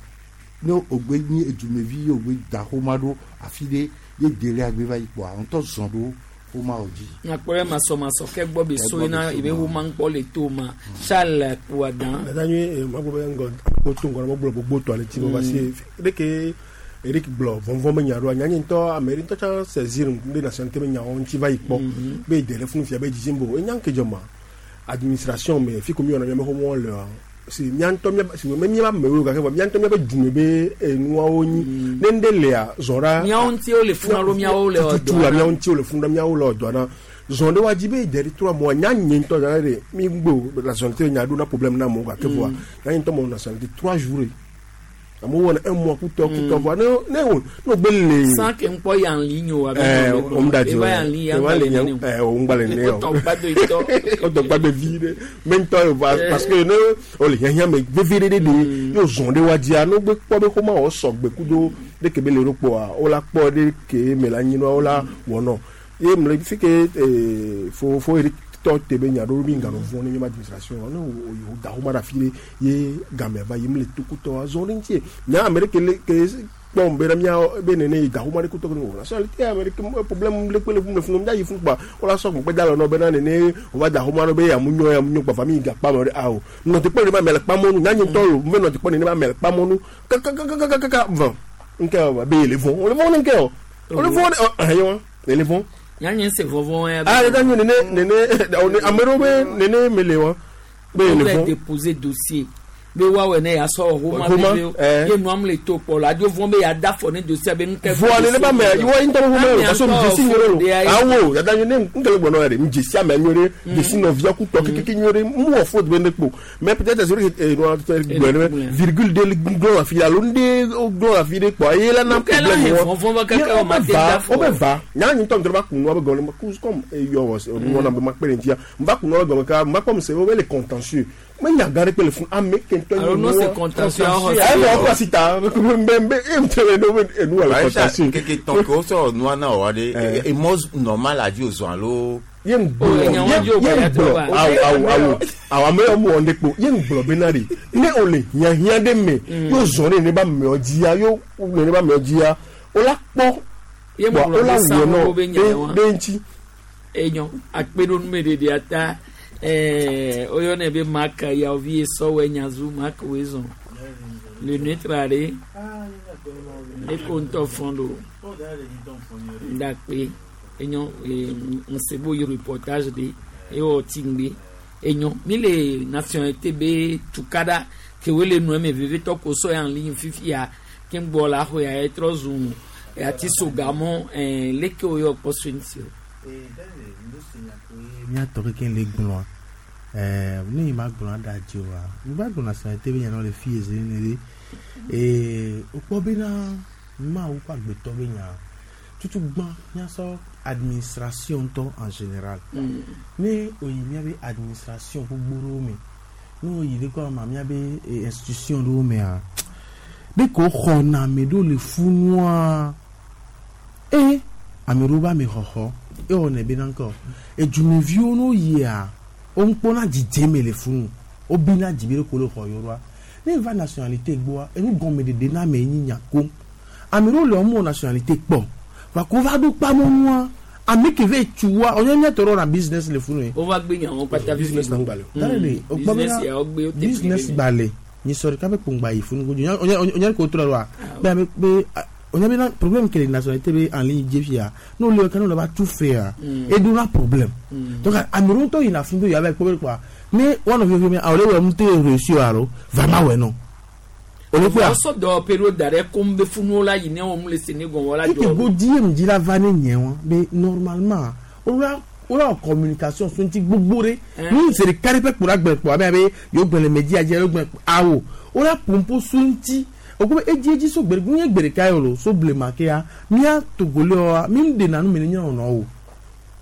[SPEAKER 9] ne wògbe nyi edumevi ye wògbe da xoma ɖo afi ɖe ye délai agbe va yi kpoa ŋutɔ zɔn ɖo xoma wo dzi.
[SPEAKER 3] Nyakpɔ masɔmasɔ ke gbɔ be so yina ebe wo ma ŋkpɔ le to ma Charles Kouadan.
[SPEAKER 1] Dada nyui magblɔ be ŋgɔ to ŋgɔ na megblɔ gbogbo tɔ ale ti me parce que ɖeke Eric gblɔ vɔvɔ me nya ɖoa nya nye ŋutɔ ame ɖe ŋutɔ tsã saisir ɖe nationalité me nyawo ŋuti va yi kpɔ be de ɖe funu fia be dzidzim bo enya ŋke dzɔ ma administration me fi ko mi wɔna miabe xoxoa lea si mía ŋutɔ mía si me míabe amewo gake vɔ mía ŋutɔ míabe dume be enuawo nyi ne ŋɖe lea zɔ ɖa.
[SPEAKER 3] Míawo ŋuti wole funu alo míawo le
[SPEAKER 1] tutu la míawo ŋuti wole funu ɖa míawo le ɔdɔa na zɔn ɖe wa dzi be de ɖe trɔ mɔ nya nye ŋutɔ zã ɖe mi gbɔ nationalité nya ɖo na problème na amewo gake vɔa nya nye ŋutɔ mɔ nationalité 3 jours amewo wɔna un mois kutɔ kutɔ vɔa ne ne wo ne wo gbe le.
[SPEAKER 3] Sans que ŋkpɔ yan ligne o.
[SPEAKER 1] Ɛɛ o mu da di o
[SPEAKER 3] yan ligne
[SPEAKER 1] yan le yan ɛɛ o ŋgba le ne o.
[SPEAKER 3] O tɔ gbado itɔ.
[SPEAKER 1] O tɔ gbado vi ɖe mɛ ŋutɔ ye va parce que ne o le hiãhiã me vevi ɖe ɖe yóò zɔn ɖe wa dzia ne wo gbe kpɔ be xɔma wɔ sɔgbe kudo ɖe ke be le ɖo kpɔa wo la kpɔ ɖe ke me la nyi nua wo la wɔnɔ ye mle fi ke fo fo tɔ te be nya ɖo mi ŋganɔ vɔ ne míabe administration ne o da xɔma ɖe afi ɖe ye game va yi mi le tokutɔ azɔ ɖe ŋuti nya ame ɖe ke le ke kpɔm be na mía be nene yi da xɔma ɖe kutɔ ke o nationalité ame ɖe ke problème ɖe kpe le funu funu mía yi funu kpa wo la sɔ gbɔgbɛ da lɔ nɔ bena nene o va da xɔma ɖo be yamu nyɔ yamu nyɔ kpa fa mi gakpa me ɖe awo nɔte kpɔ ne ba mɛ le kpa mɔnu nya nye ŋutɔ lo me nɔte kpɔ ne ba mɛ le kpa mɔnu kakakakakaka vɔ nke o be le vɔ o le vɔ ne nke o o le vɔ ɛ yɔ le vɔ
[SPEAKER 3] Nya se vɔvɔ ya.
[SPEAKER 1] Ah, ne nene nene ame ɖewo be nene mele wa.
[SPEAKER 3] Be le vɔ. Déposer dossier be woawɔ ne yasɔ xoma bebe ye nua le to kpɔ la adzo vɔn be yada fɔ ne dossier be nukɛ.
[SPEAKER 1] Vɔ ne ba mɛ iwɔ ŋutɔ be xoma yɛ parce que dzesi nyuie ɖe lo awo yada nyuie ne nkele gbɔnɔ yɛ de dzesi ame nyuie ɖe dzesi nɔvia kutɔ kekeke nyuie ɖe mu wɔ faute be ne kpo mais peut-être c'est vrai que nua gblɔ ne virgule de glɔ afi alo ŋɖe glɔ afi ɖe kpɔ eye la na
[SPEAKER 3] problème wɔ
[SPEAKER 1] wo be va nya nye ŋutɔ ŋutɔ va kun nua be gɔme comme eyɔ wɔ nua na be ma kpe ɖe ŋutia n va kun nua be gɔme ka n va kpɔ se wo be le contentieux me nya gã ɖe kpe le fún ame ke ŋutɔ
[SPEAKER 3] nye nu c'est contentieux
[SPEAKER 1] ayi wɔ kɔ sita mbe mbe e ŋutɔ ye ne enu wɔ le contentieux.
[SPEAKER 10] Keke tɔn ke wosɔ nua na wɔ ɖe emɔ normal la dzi o zɔn alo.
[SPEAKER 1] Ye ŋgblɔ ye ŋgblɔ awo awo awo awo ame yɔ mu wɔ ne kpo ye ŋgblɔ bena de ne o le hiãhiã ɖe me yóò zɔn ɖe ne ba mɛɔ dzia yóò ne ba mɛɔ dzia o la kpɔ
[SPEAKER 3] bɔn
[SPEAKER 1] o la wɔ nɔ ɖe ŋuti.
[SPEAKER 3] Enyo akpeɖonumeɖeɖe ata oyɔnɛ be maka yaovi sɔwɛ nyazu maka wezɔn le nuetra ɖe eko ŋutɔ fɔn ɖo ndakpe enyo ŋsebo yi reportage ɖe ewɔ tingbe enyo mi le nationalité be tukaɖa ke wo le nua me vevitɔ ko sɔ yan ligne fifia ke ŋgbɔ la xɔ ya etrɔ zu ati sogamɔ leke wo yɔ kpɔ so ŋuti o.
[SPEAKER 23] Míatɔ keke le gblɔa ne yi ma gblɔ aɖa dzi oa mi va gblɔ nationalité be nya le fi ezi ne ɖe ee wokpɔ bena Mawu ƒe agbetɔ be nya tutu gbã míasɔ administration ŋutɔ en général ne oyi míabe administration gbogbo ɖewo me ne oyi ɖe kɔ ma míabe institution ɖewo mea ɖe ko xɔna ame ɖewo le funua. Eye ame ɖewo be amexɔxɔ ewɔnɛ bena ŋkɔ edumeviwo no yia wokpɔna dzidzeme le funu wobina dzi be ɖeko le xɔ yewo ɖoa. Ne va nationalité gbɔa enu gɔmeɖeɖe na ame nyi nya kom. Ame ɖewo le wɔmɔ nationalité kpɔ va ko va ɖo kpamɔnua ame ke ve tsu wa onye miatɔ ɖe wɔna business le funu ye.
[SPEAKER 3] Wova gbe nyawo kpata
[SPEAKER 1] Business na ŋgbalẽ o.
[SPEAKER 23] Tare de o kpɔ
[SPEAKER 3] Business
[SPEAKER 23] bena
[SPEAKER 3] ya wogbe wo te
[SPEAKER 23] business
[SPEAKER 3] fi
[SPEAKER 23] gbalẽ nyisɔ ɖeka be kpongba yi funu kodzo onye onye onye ko trɔ wa be ame be onye bena problème ke le nationalité be en ligne dze fia n'o le kana le va tout faire e do na problème. Donc ame ɖewo ŋutɔ yina funu be yewoava kpɔ be kpoa ne woanɔ fifi me awo le wɔ ŋute réussir alo vraiment wɛ nɔ. O le kpɔa.
[SPEAKER 3] Wosɔ dɔwɔƒe ɖo da ɖe kom be funuwo la yi ne wɔm le sene gɔme la
[SPEAKER 23] Eke
[SPEAKER 3] dzɔ.
[SPEAKER 23] go die mi dzi la va ne nye wa be normalement wola wola wɔ communication so ŋuti gbogbo ɖe nu zi ɖeka ɖe ƒe kpo la gblẽ kpo abe abe yewo gblẽ le media dzi yewo gblẽ awo wola pompo so ŋuti wòkɔ be edzi edzi so gbe nye gbe ɖeka yi o lo so blema kea mía togolɛ wa mi ŋu ɖena nu me ne nye nɔnɔ o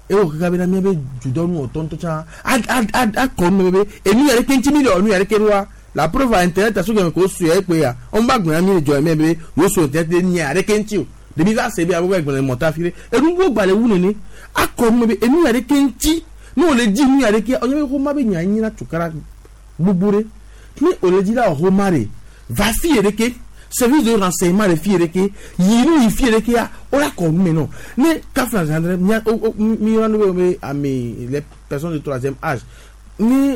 [SPEAKER 23] ewɔ kaka bena mía be dudɔnu wɔtɔ ŋutɔ tsã a a a akɔ nu me be enu ya ɖeke ŋuti mi le wɔ nu ya ɖeke ɖoa la preuve a internet aso gɛmɛ ko su ya ekpe ya wɔn ba gblẽ mi le dzɔ mɛ be yóò so internet ɖe nia ɖeke ŋuti o ɖevi va se be abo gblẽ mɔta fi ɖe enu wo gba le wu nene akɔ nu me be enu ya ɖeke ŋuti ne wòle dzi nu ya ɖeke ɔnyɛ be xɔma be nya nyina tukara gbogbo ɖe ne wòle dzi la wɔ xɔma ɖe va fi yɛ ɖeke service de renseignement ɖe fi yɛ ɖeke yi nu yi fi yɛ ɖeke ya wola kɔ nu me nɔ ne kafla zandrɛ mia o o mi yɔna nu be be ame les personnes de troisième âge ni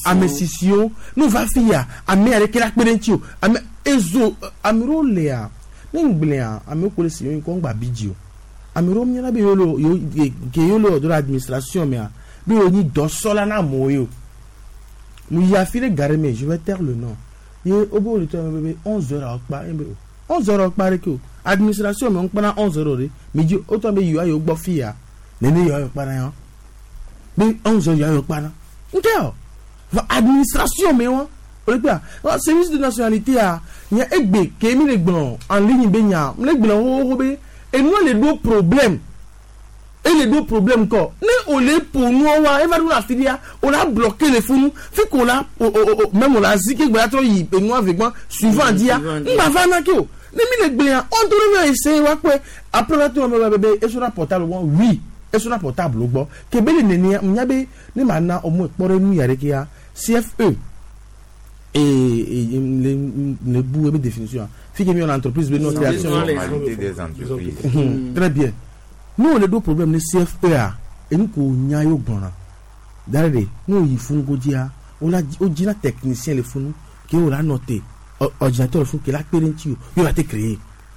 [SPEAKER 23] ame sisiwo ne wova fi ya ame ya ɖeke la kpe ɖe ŋuti o ame ezo ame ɖewo lea ne ŋgblẽa amewo ko le si yewo ŋkɔ ŋgba bi dzi o ame ɖewo miana be yewo le yewo ke yewo le wɔ do ɖe administration mea be yewo nyi dɔsɔla na amewo ye o mu yi afi ɖe gare me je vais taire le nom ye wobe wo le tɔ me be 11 heures awɔ kpa ye be o 11 heures awɔ kpa ɖeke o administration me ŋkpɔna 11 heures ɖe mi dzi wotɔ be yewoa yewo gbɔ fi ya nene yewoa yewo kpa na ya be 11 heures yewoa yewo kpa na ŋkɛ o va administration me wa o le kpea wa service de nationalité a nye egbe ke mi le gblɔ en ligne be nya mi le gblɔ xoxoxo be enua le ɖo problème ele ɖo problème kɔ ne o le ƒo nua wa eva ɖo afi ɖia o la bloqué le funu fi ko la o o o même o la zi ke gbe la trɔ yi enua ve gbɔ suivant dia ŋgba va na ke o ne mi le gblẽa on to ɖe va essayer wa kpɔe après va to me be be esona portable gbɔ oui esona portable gbɔ ke be le nenia nya be ne ma na au moins kpɔ ɖe nu ya ɖe ke ya CFE et le bout de définition fi ke mi wɔna entreprise be notre création
[SPEAKER 10] Formalité des entreprises.
[SPEAKER 23] Très bien nous on le do problème ne CFE a enu ko nya yo gbɔna dare de n'o yi funu ko dzia o la o dzina technicien le funu ke o la noter ordinateur le funu ke la kpe ɖe ŋuti o yo la te créer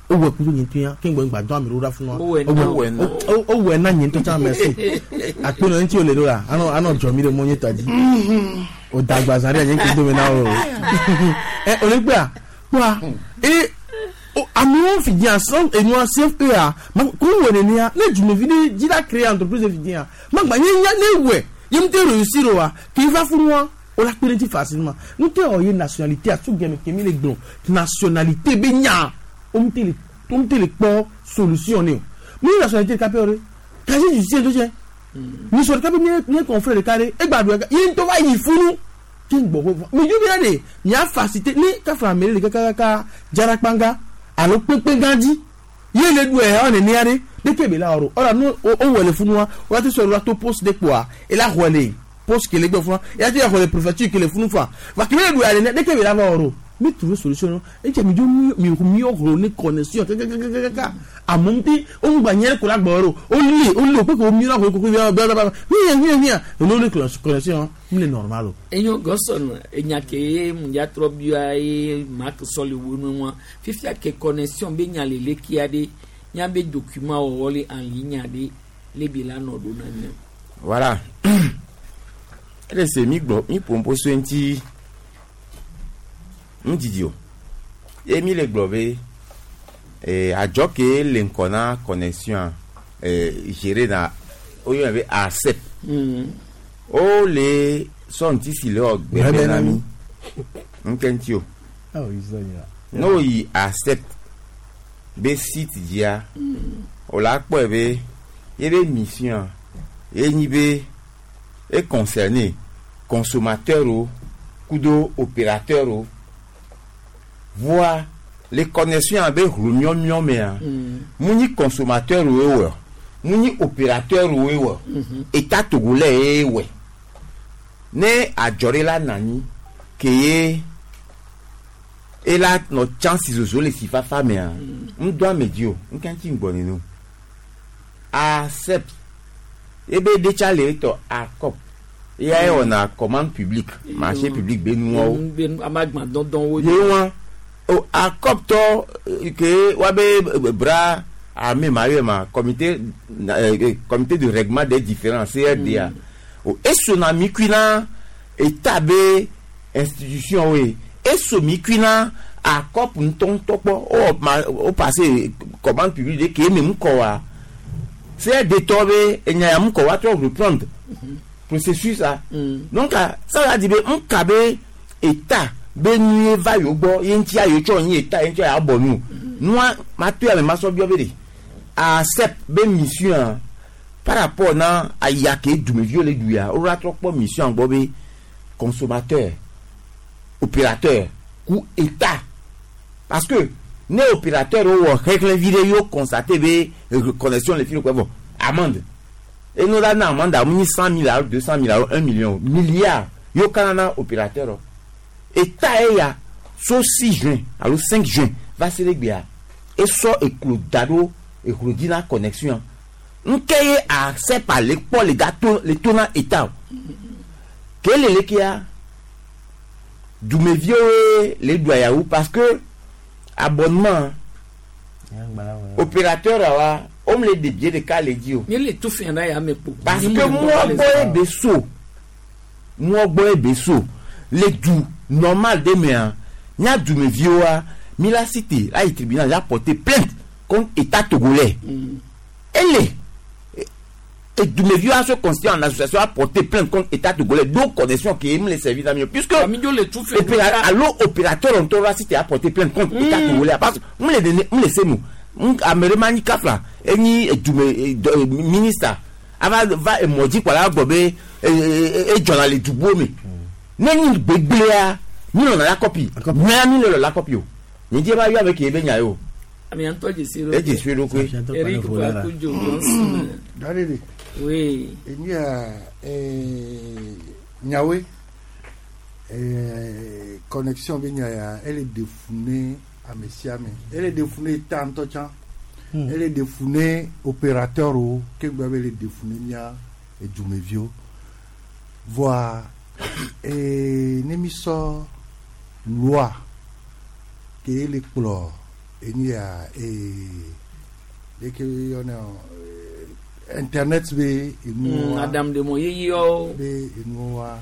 [SPEAKER 23] o wɔ kudo nye ŋutɔ ya ke ŋgbɔ ŋgba dɔn ame ɖewo ɖa funu wa o wɔ na nye ŋutɔ tsã merci akpe nɔ ŋuti o le ɖo la anɔ anɔ dzɔ mi ɖe mɔ nye tɔ dzi o dagba zã ɖe nye ŋutɔ dome na o ɛ o le gbea kpɔa e amewo fi diã sɔn enua CFE a ma ko wɔ nenea ne dumevi ɖe dzi la créer entreprise fi diã magba nye nya ne wɔ ye ŋutɔ réussir wa ke va funua o la kpe ɖe ŋuti facilement ŋutɔ wɔ ye nationalité asu gɛmɛ kemi le gblɔ nationalité be nya o ŋutɔ le o ŋutɔ le kpɔ solution ne o mi nationalité ɖeka pɛ o ɖe casier judiciaire tó tsɛ nisɔ ɖeka be mie mie confrère ɖeka ɖe egba ɖu ye ŋutɔ va yi funu ke gbɔ ko mi dzo bia de mia facilité ne kafa ame ɖe le kakaka dzarakpanga alo kpekpe gã dzi ye le ɖu ɛ nenea ɖe ɖeke be la wɔ ɖo ɔla nu o wɔ le funua o la te sɔ la to poste de kpoa ela xɔ le poste ke le gbɔ funua ela te xɔ le préfecture ke le funu fa va kebe le ɖu ya nenea ɖeke be la va wɔ ɖo mi trouver solution etse mi dzo mi mi mi ne connexion kakakakaka amewo ŋuti wo ŋgba nye ko la gbɔ ɖo o li o li o kpeke o mi la xɔ koko bia bia bia hiã hiã hiã eno le connexion mi le normal o.
[SPEAKER 3] Enyo gɔsɔn enya ke ye ŋdza trɔ bia ye mak sɔli wo nu wa fifia ke connexion be nya le lekia ɖe nya be document wɔwɔ le en ligne ɖe le bi la nɔ ɖo na mia.
[SPEAKER 10] Voilà. Ele se mi gblɔ mi ƒoƒo so ŋuti ŋudidi o ye mi le gblɔ be adzɔ ke le ŋkɔ na connexion géré na woyɔna be ARCEP o le sɔ ŋuti si le wɔ gbɛgbɛ na mi ŋkɛ ŋuti o ne wo yi ARCEP be site dzia o la kpɔe be ye be mission ye nyi be e concerné consommateur o kudo opérateur o voa Le connexion abe hlomiɔmiɔ mea, mu nyi consommateur woe wɔ, mu nyi opérateur woe wɔ, État togolais ye wɔe. Ne adzɔ ɖe la nɔ anyi ke ye ela nɔ chance zozo le sifafa mea, ŋdɔ ame dzi o, ŋke ŋuti ŋgbɔ nene o. Accept ebe ɖetsa le etɔ akɔp eya ye wɔna commande publique, marché public be nuawo.
[SPEAKER 3] Amagba dɔdɔwo.
[SPEAKER 10] Ye wa o akɔp tɔ ke wabe bras armé ma yɔ ma comité comité de règlement des différends CRDA. O esona mi kui na état be institution we eso mi kui na akɔp ŋutɔŋutɔ kpɔ o ma o passé commande publique de ke eme ŋkɔ wa CRD tɔ be enya ya ŋkɔ wa trɔ reprendre processus la. Donc ça veut dire be ŋka be état be nu ye va yewo gbɔ ye ŋutia yewo tsɔ nyi état ye ŋutia ya bɔ nu nua ma to ya me ma sɔ biɔ be de accept be mission par rapport na aya ke dumeviwo le du ya wo la trɔ kpɔ mission gbɔ be consommateur, opérateur ku état, parce que ne opérateur wo wɔ xexlẽ vi ɖe yewo constaté be connexion le fi ɖe kɔ vɔ amende eno la na amende amu nyi 100 000 alo 200 000 alo 1 million milliard yewo kana na opérateur o. État eya so 6 juin alo 5 juin va se ɖe gbea esɔ eklo da ɖo eklo dzi na connexion nke ye ARCEP le kpɔ le ga to le to na état o ke le lekea dumeviwo le ɖu ayawu parce que abonnement opérateur wa wome le ɖe bie ɖeka le dzi o.
[SPEAKER 3] Mi le tu fɛn na ya me kpo.
[SPEAKER 10] Parce que mɔ gbɔ ye be so mɔ gbɔ ye be so le du normal de mea nya dumeviwoa mi la cité la yi tribunal ya porter plainte contre état togolais. Ele dumeviwo se constituer en association à porter plainte contre état togolais do connexion ke emu le servir na mi puisque alo opérateur ŋutɔ la cité a porter plainte contre état togolais parce que mu le dene mu le se nu ame ɖe ma nyi kafla enyi dume ministre ava va emɔdzikpɔla gbɔ be edzɔna le dubuwo me ne nyi gbegblẽa mi lɔna la kɔpi nyɔa mi le lɔ la kɔpi o nye dzi ba yɔ ame ke be nya ye o.
[SPEAKER 3] Ami ŋutɔ dzesi ɖo.
[SPEAKER 10] Edze si ɖokui.
[SPEAKER 3] Eric Kwakujo Johnson.
[SPEAKER 9] Dadede.
[SPEAKER 3] Oui.
[SPEAKER 9] Enya nyawe connexion be nya ya ele defune ame sia ame ele defune état ŋutɔ tsã ele defune opérateur o ke gba be ele defune mía edumeviwo voa ne mi sɔ loi ke ele kplɔ enu ya leke yɔnɛ internet be enuwa
[SPEAKER 3] Adam de mo yeyewo
[SPEAKER 9] be enuwa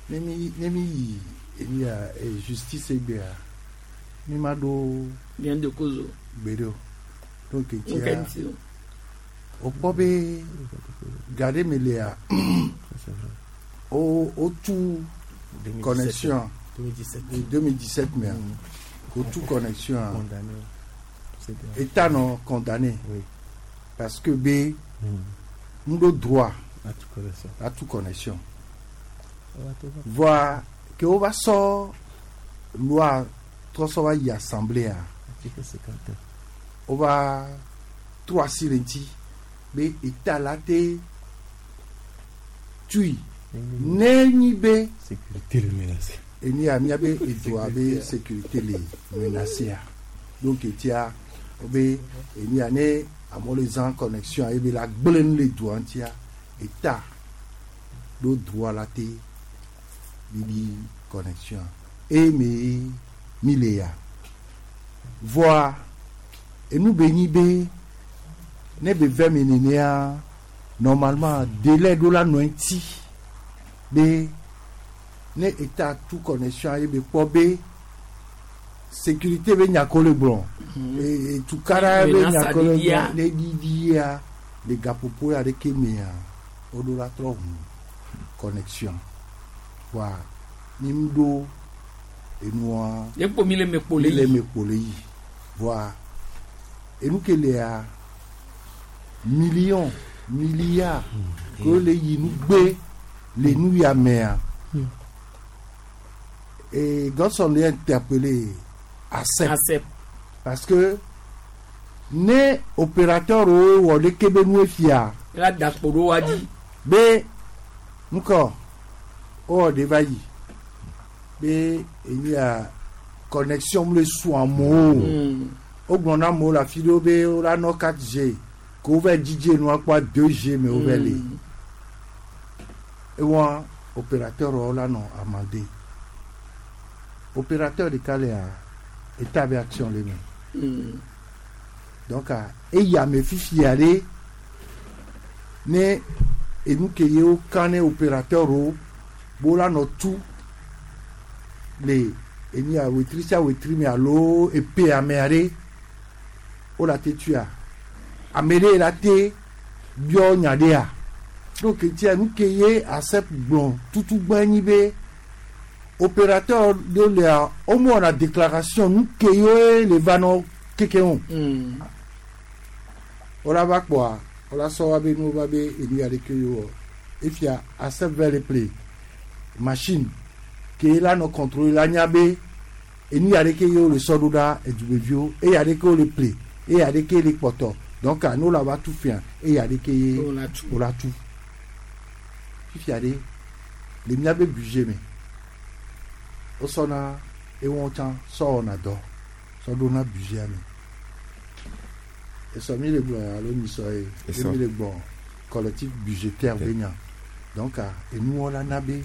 [SPEAKER 9] ne mi yi enu ya justice egbea mi ma ɖo
[SPEAKER 3] bien de cause
[SPEAKER 9] gbeɖe o donc
[SPEAKER 3] etia
[SPEAKER 9] o kpɔ be ga ɖe me lea o o tu connexion 2017 mea o tu connexion état nɔ condamné parce que be n ɖo droit à tout connexion voa ke wo va sɔ loi trɔ sɔ va yi assemblée a wo va trɔ asi le ŋuti be état la te tui ne nyi be enu ya míabe edoa be sécurité le menacé a. Donc etia be enu ya ne amewo le zã connexion ebe la gblẽ nu le doa ŋutia état ɖo droit la te bibi connexion eye mi le ya voa enu be nyi be ne be vɛ mi nenea normalement délai ɖo la nɔ eŋuti be ne état tu connexion ye be kpɔ be sécurité be nya ko le gblɔ tukara be nya ko le gblɔ ne ɖiɖia le gaƒoƒo ya ɖeke mea woɖo la trɔ ʋu connexion wa mi ŋu ɖo enua
[SPEAKER 3] ekpo mi le me kpo le
[SPEAKER 9] yi le me kpo le yi voa enu ke lea million milliard ke le yi nu gbe le nu ya mea et Godson l'a interpellé ARCEP.
[SPEAKER 3] ARCEP.
[SPEAKER 9] Parce que ne opérateur wo wɔ ɖeke be nu efia.
[SPEAKER 3] La dakpo ɖo wa dzi.
[SPEAKER 9] Be ŋkɔ wowɔ ɖe va yi be enyia connexion mu le su amewo. Wogblɔ na amewo le afi ɖewo be wola nɔ 4G ko wova dzidze nua kpɔa 2G me wova le. Ewɔ opérateur wo la nɔ amande. Opérateur ɖeka lea eta be action le me. Donc eya me fifia ɖe ne enu ke ye wo kan ne opérateur wo bo la nɔ tu le enia wetri sia wetri me alo epe amea ɖe wo la te tuia ame ɖe la te biɔ nya ɖea donc tia nu ke ye ARSEP gblɔ tutu gbã nyi be opérateur ɖewo lea wo me wɔna déclaration nu ke ye le va nɔ keke o. Wola va kpɔa wola sɔ wa be nu va be enu ya ɖeke ye wɔ efia ARSEP va le ple machine ke la nɔ contrôler la nya be enu ya ɖeke ye wo le sɔ ɖo ɖa edumeviwo eya ɖeke wo le ple eya ɖeke le kpɔtɔ donc ne wo la va tu fia eya ɖeke ye wo la tu fifia ɖe le míabe budget me wosɔna ewɔn tsã sɔ wɔna dɔ sɔ ɖona budget me esɔ mi le gblɔ alo mi sɔ ye
[SPEAKER 10] Esɔ.
[SPEAKER 9] mi le gbɔ collectif budgétaire be nya donc enuwɔla na be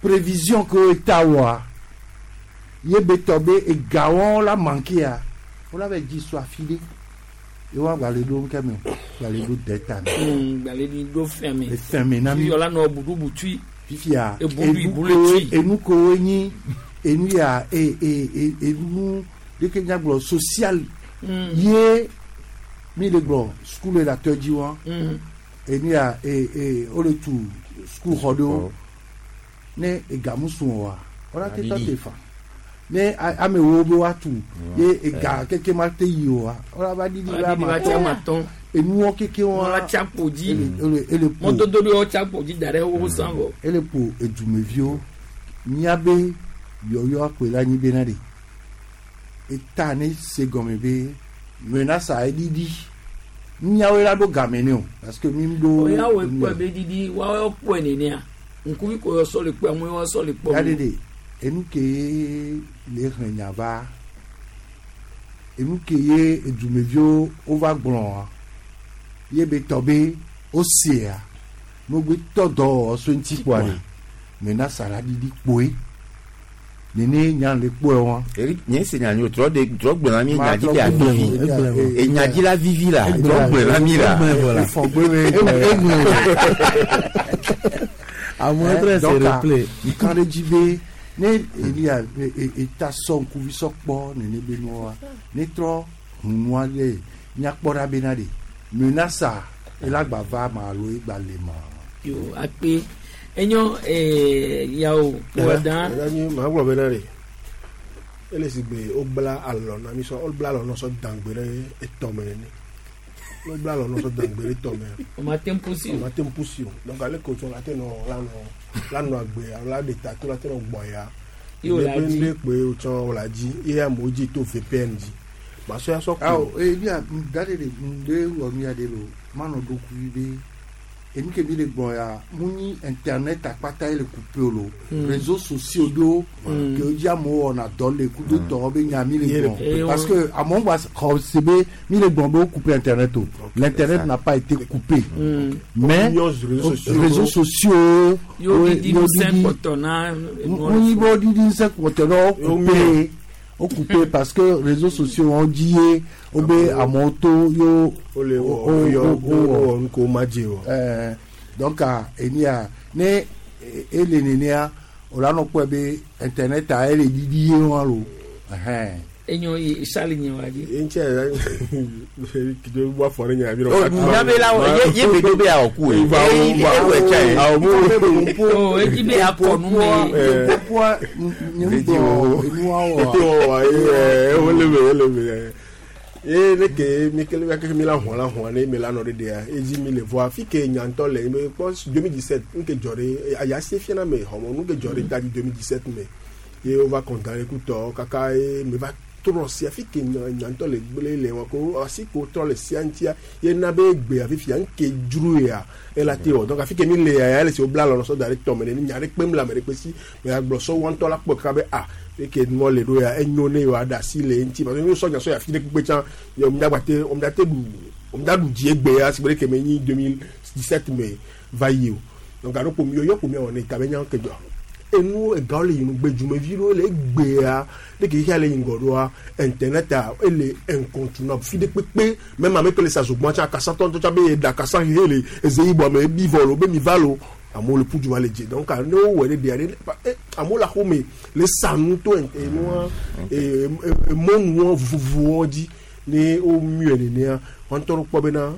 [SPEAKER 9] prévision ke wo ta wɔa ye be tɔ be egawɔ la manqué wola be dzi sɔ afi ɖe ye wa gba le ɖo ŋkɛ me o gba le ɖo dɛta me.
[SPEAKER 3] Gba le ni ɖo fɛn me.
[SPEAKER 9] Efɛn me na mi.
[SPEAKER 3] Fifia la nɔ buɖubu tui.
[SPEAKER 9] Fifia
[SPEAKER 3] Ebuɖu ibu le tui.
[SPEAKER 9] enu kowo nyi enu ya e e e enu ɖeke nyagblɔ social ye mi le gblɔ sukulu le atɔ dzi wa enu ya e e wo le tu sukulu xɔ ɖewo ne egamu sun wa wala te tɔ te fa ne ame wo be wa tu ye ega keke ma te yi o wa wala va ɖiɖi
[SPEAKER 3] Wala ɖiɖi va tsi amatɔn.
[SPEAKER 9] Enuwɔ keke wa
[SPEAKER 3] Wala tsi akpo dzi.
[SPEAKER 9] Ele ele ƒo
[SPEAKER 3] Mɔdodo ɖewo tsi akpo dzi da ɖe wo san vɔ.
[SPEAKER 9] Ele ƒo edumeviwo míabe yɔyɔ akpoe la nyi bena ɖe eta ne se gɔme be menasa eɖiɖi míawoe la ɖo game ne o parce que mi ɖo.
[SPEAKER 3] Oya wo kpɔe be ɖiɖi woawo kpɔe nenea ŋkuvi ko yɔ sɔ le kpɔe amewo sɔ le kpɔ.
[SPEAKER 9] Ya ɖe enu ke le xlẽ nya va enu ke ye edumeviwo wova gblɔa ye be tɔ be wosea nogbe tɔ dɔwɔwɔ so ŋuti kpoa ɖe menasa la ɖiɖi kpoe nene nya le kpoe wa.
[SPEAKER 10] Eric nye se nya nyo trɔ de trɔ gblɔ na mi nya dzi la vivi enya dzi la vivi la trɔ gblɔ na mi la.
[SPEAKER 23] Amewo trɔ se replay.
[SPEAKER 9] Nkan ɖe dzi be ne elia eta sɔ ŋkuvi sɔ kpɔ nene be nua ne trɔ hunua ɖe míakpɔ ɖa bena ɖe menasa ela gba va ma alo egba le ma.
[SPEAKER 3] Yo akpe enyo yawo wɔdan.
[SPEAKER 1] Ɛɛ maa gblɔ bena ɖe ele si gbe wobla alɔ na mi sɔ wobla alɔ na sɔ dangbe ɖe etɔme nene wobla alɔ na sɔ dangbe ɖe etɔme.
[SPEAKER 3] O ma te ŋu si o.
[SPEAKER 1] O ma te ŋu si o donc ale ko tsɔ la te nɔ la nɔ la nɔ agbe alo la ɖe ta to la te nɔ gbɔ ya.
[SPEAKER 3] Ye o la dzi.
[SPEAKER 1] Ne kpe wotsɔ o la dzi ye amewo dzi to VPN dzi masɔ ya sɔ
[SPEAKER 9] Awo ebi a da de de de wɔ nu ya de lo manɔ ɖokuivi be enu ke mi le gblɔ ya mu nyi internet akpata ye le coupé o lo réseaux sociaux ɖo ke wo dzi amewo wɔna dɔ le kudo tɔwo be nya mi le gblɔ parce que amewo gba xɔ se be mi le gblɔ be wo coupé internet o, l'internet n'a pas été coupé mais réseaux sociaux.
[SPEAKER 3] Yóò didi ŋusẽ kpɔtɔ na.
[SPEAKER 9] Mu nyi be wo didi ŋusẽ kpɔtɔ na wo coupé o coupé parce que réseaux sociaux wọn dzi ye wo be amewo to yo.
[SPEAKER 1] O le wɔ yɔ o wɔ nuko ma dze o.
[SPEAKER 9] Ɛɛ donc enia ne ele nenea o la nɔ kpɔe be internet a ele didi ye wa lo.
[SPEAKER 3] Enyo yi sali nye wa dzi.
[SPEAKER 1] Ye ŋuti yɛ kido bɔ afɔ ne nya bi.
[SPEAKER 10] O nyabe la ye ye be do be awɔ ku ye. E wɛ tsa ye.
[SPEAKER 1] Awɔ mu.
[SPEAKER 3] O edzi be akɔ nu me.
[SPEAKER 9] Poa nye ŋgbɔ enua
[SPEAKER 1] wɔ. Ye o le me o le me. Ye ne ke mi kele mi kele mi la hɔn la hɔn ne mi la nɔ de dea edzi mi le voa fi ke nyantɔ le mi kpɔ 2017 nu ke dzɔ ɖe aya se fia na me xɔmɔ nu ke dzɔ ɖe da di 2017 me ye wova condamné kutɔ kaka ye mi va trɔ si afi ke nya ŋutɔ le gblẽ le wa ko asi ko trɔ le sia ŋutia ye na be gbea fifia ŋke dzro ya ela te wɔ donc afi ke mi le ya ya le si wobla lɔlɔ sɔ da ɖe tɔme ne nya ɖe kpem le ame ɖe kpe si me agblɔ sɔ wa ŋutɔ la kpɔ kaka be ah eke nua le ɖo ya enyo ne yewoa ɖe asi le eŋuti parce que ne wosɔ nya sɔ yi afi ɖe kpekpe tsã ye womedagba te womedate ɖu womedaɖu dzi egbe ya si be ɖeke me nyi 2017 me va yi o donc alo kpo yɔyɔ kpo miawɔ ne ta be nya ke dzɔ enu egawo le yi nugbe dzumevi ɖewo le egbea ɖeke xexea le yi ŋgɔ ɖoa internet a ele incontournable fi ɖe kpekpe même ame ke le sa zogbɔn tsã akasatɔ ŋutɔ tsã be yeɖe akasa hehe le eze yibɔ me ebi vɔ lo be mi va lo amewo le ƒu du va le dze donc ne wowɔe ɖe ɖea ɖe amewo le axome le sa nu to enua emɔnuwo vovovowo dzi ne wo miɔe nenea wɔn ŋutɔ kpɔ bena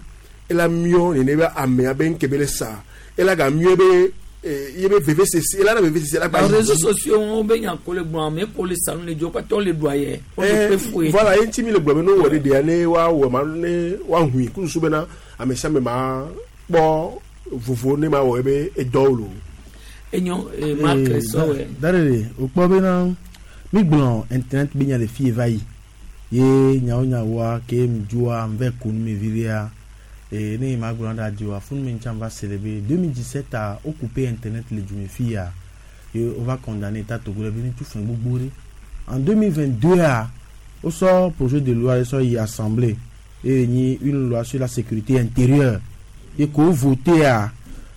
[SPEAKER 1] ela miɔ nene be amea be ŋke be le sa ela ga miɔ be ye be veve sese ela na veve sese ela gba.
[SPEAKER 3] Réseaux sociaux ŋu be nya ko le gblɔ ame ko le sanu le dzo kpatɔ le ɖua yɛ. O le kpe fue.
[SPEAKER 1] Voilà ye ŋuti mi le gblɔ be ne wowɔ ɖe ɖea ne woawɔ ma ne woahui kususu bena ame sia ame ma kpɔ vovo ne ma wɔ ebe edɔwo lo.
[SPEAKER 3] Enyo Mark sɔwɛ.
[SPEAKER 23] Daɖeɖe wòkpɔ bena mi gblɔ internet be nya le fie va yi ye nyawo nyawoa ke mi dzoa mi va ko nu me viɖea ne ma gblɔ ɖe adioa funu me ŋutia va se le be 2017 a wo coupé internet le dzume fi ya ye wo va condamné État togolais be ne tu fɛn gbogbo ɖe. En 2022 a wosɔ projet de loi sɔ yi assemblée eye nyi une loi sur la sécurité intérieure ye ko voté a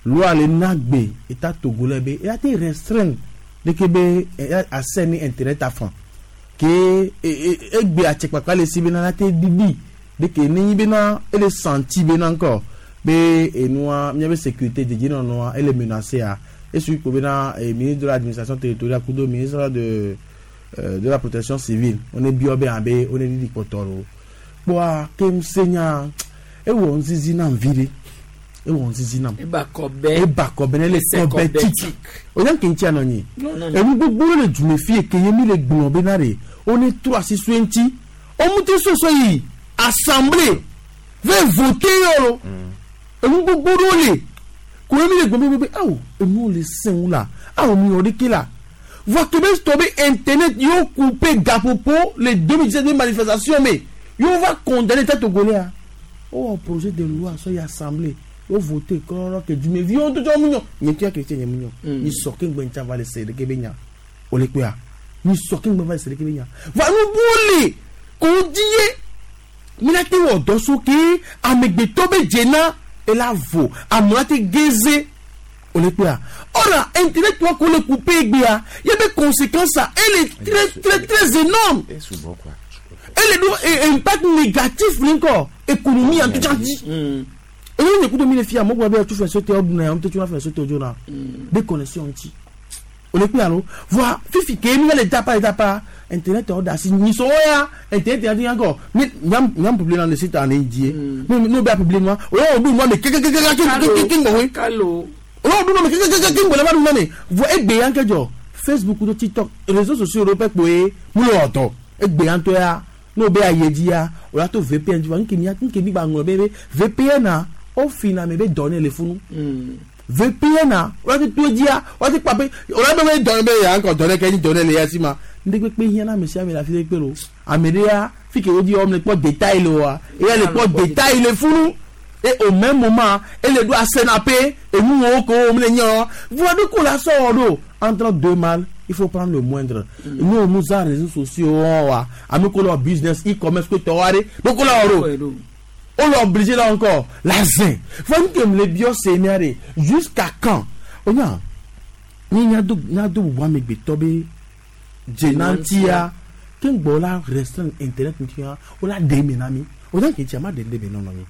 [SPEAKER 23] loi le na gbe État togolais be eya te restreindre ɖeke be accès ni internet afan ke egbe atsekpakpa le si bena la te ɖiɖi ɖeke ne nyi bena ele senti bena ŋkɔ be enua miabe sécurité dedienɔnɔa ele menacé a esui ko bena ministre de l'administration territoriale kudo ministre de la protection civile on est biɔ be abe on est ɖiɖi kpɔtɔ lo kpɔa ke se nya ewɔ ŋzizi nam vi ɖe ewɔ ŋzizi nam
[SPEAKER 3] eba kɔbɛ
[SPEAKER 23] eba kɔbɛ ne le kɔbɛ tik o nya nke ŋuti anɔ nyi enu gbogbo le dzume fi eke ye mi le gblɔ bena ɖe wo ne trɔ asi so ŋuti wo ŋuti soso yi assemblée ve voter yɔ lo enu gbogbo ɖewo le ko ye mi le gblɔ be awo enuwo le sẽŋu la awo mi wɔ ɖeke la voa ke be tɔ be internet yewo coupé gaƒoƒo le 2017 be manifestation me yewo va condamné État togolais a wowɔ projet de loi sɔ yi assemblée wo voté kɔrɔ ke dumeviwo ŋutɔ tsɔ mu nyɔ nye tia chrétien nye mu nyɔ mi sɔ ke ŋgbe ŋtsa va le se ɖeke be nya o le kpea mi sɔ ke ŋgbe va le se ɖeke be nya va nu bu le ko di ye mi la te wɔ dɔ so ke amegbetɔ be dzena ela vo amewo la te geze o le kpea ɔra internet wa ko le coupé gbea ye be conséquence a elle est très très très énorme elle do impact négatif ŋkɔ économie en tout cas di eyi ne kudo mi le fia mo gba be tu fɛn sote ɔduna ya mo te tu fɛn sote odzo na be connexion ŋuti o le kpe alo voa fifi ke mi le dapa dapa internet ɔ da si nyisɔ ya internet ya ti yan kɔ mi nyam nyam publier dans le site en indien mi n'o bɛ publier nua o y'o dun nua mi kekekekeke ŋgbɔwe o y'o dun nua mi kekekeke ŋgbɔwe la ba dun nua mi voa egbe yan kɛ jɔ Facebook do TikTok réseaux sociaux ɖo pɛ kpoe mu le ɔtɔ egbe yan tɔ ya n'o bɛ ayi dzi ya o la to VPN dzi wa nke mi nke mi gba ŋlɔ be be VPN a o fina mi be dɔnne le funu VPN a o la ti to dzia o la ti kpa pe o la bɛ be dɔnne be yan kɔ dɔnne kɛ ni dɔnne le ya si ma ndé kpekpe hiã na ame sia ame le afi ɖe kpe lo ame ɖe ya fi ke wo di wɔm le kpɔ détail le wa eya le kpɔ détail le funu et au même moment ele do asena pe enu wo ko wo le nyɔ voa ɖo ko la sɔ wɔ ɖo entre deux mal il faut prendre le moindre. Nous nous a réseaux sociaux wa ame ko leur business e-commerce ko tɔ wa ɖe ɖo ko la wɔ ɖo on l'a obligé là encore la zin fɔ n kɛ le biɔ se mia de jusqu'à quand o nya ni nya do nya do bubu amegbetɔ be dzenantia ke ŋgbɔ la restreindre internet ŋutia o la ɖe eme na mi o nya ke tsia ma ɖe ɖe me nɔnɔ mi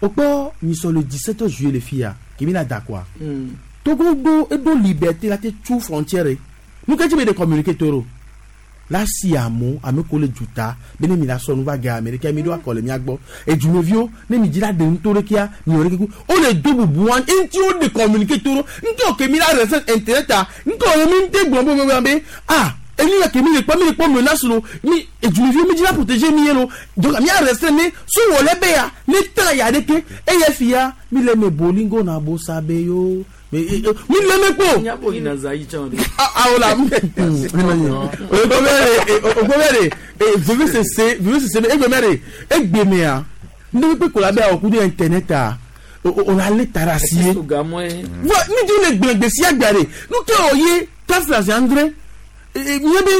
[SPEAKER 23] o kpɔ nyisɔ le 17 juillet le fia kemi la da quoi Togo do eɖo liberté la te tu frontière nu ke tsi be de communiquer toro la si amewo ame ko le duta be ne mi la sɔ nu va ge ame ɖeka mi ɖo akɔ le mia gbɔ edumeviwo ne mi dzi la ɖe nuto ɖekea mi wɔ ɖeke ku wo le do bubu wa ŋuti wo de communiquer toro ŋuti wo ke mi la restreindre internet a ŋuti wo mi ŋuti gblɔ be be be ah enu ya ke mi le kpɔ mi le kpɔ menace lo mi edumeviwo mi dzi la protéger mi ye lo donc mi a restreindre ne so wɔ le be ya ne ta ya ɖeke eye fia mi le me bolingo na bo sabe yo. Mi le me kpo.
[SPEAKER 3] Nyabo yina zayi tsã de.
[SPEAKER 23] Awo la. Ogbɔ bɛ de veve sese veve sese egbe mɛ de egbe mea ne bɛ ko la bɛ awɔ kudo internet a o la le ta si ye. Vɔ mi di le gbɛngbɛ si agba de nu ke o ye kafla si andre nye be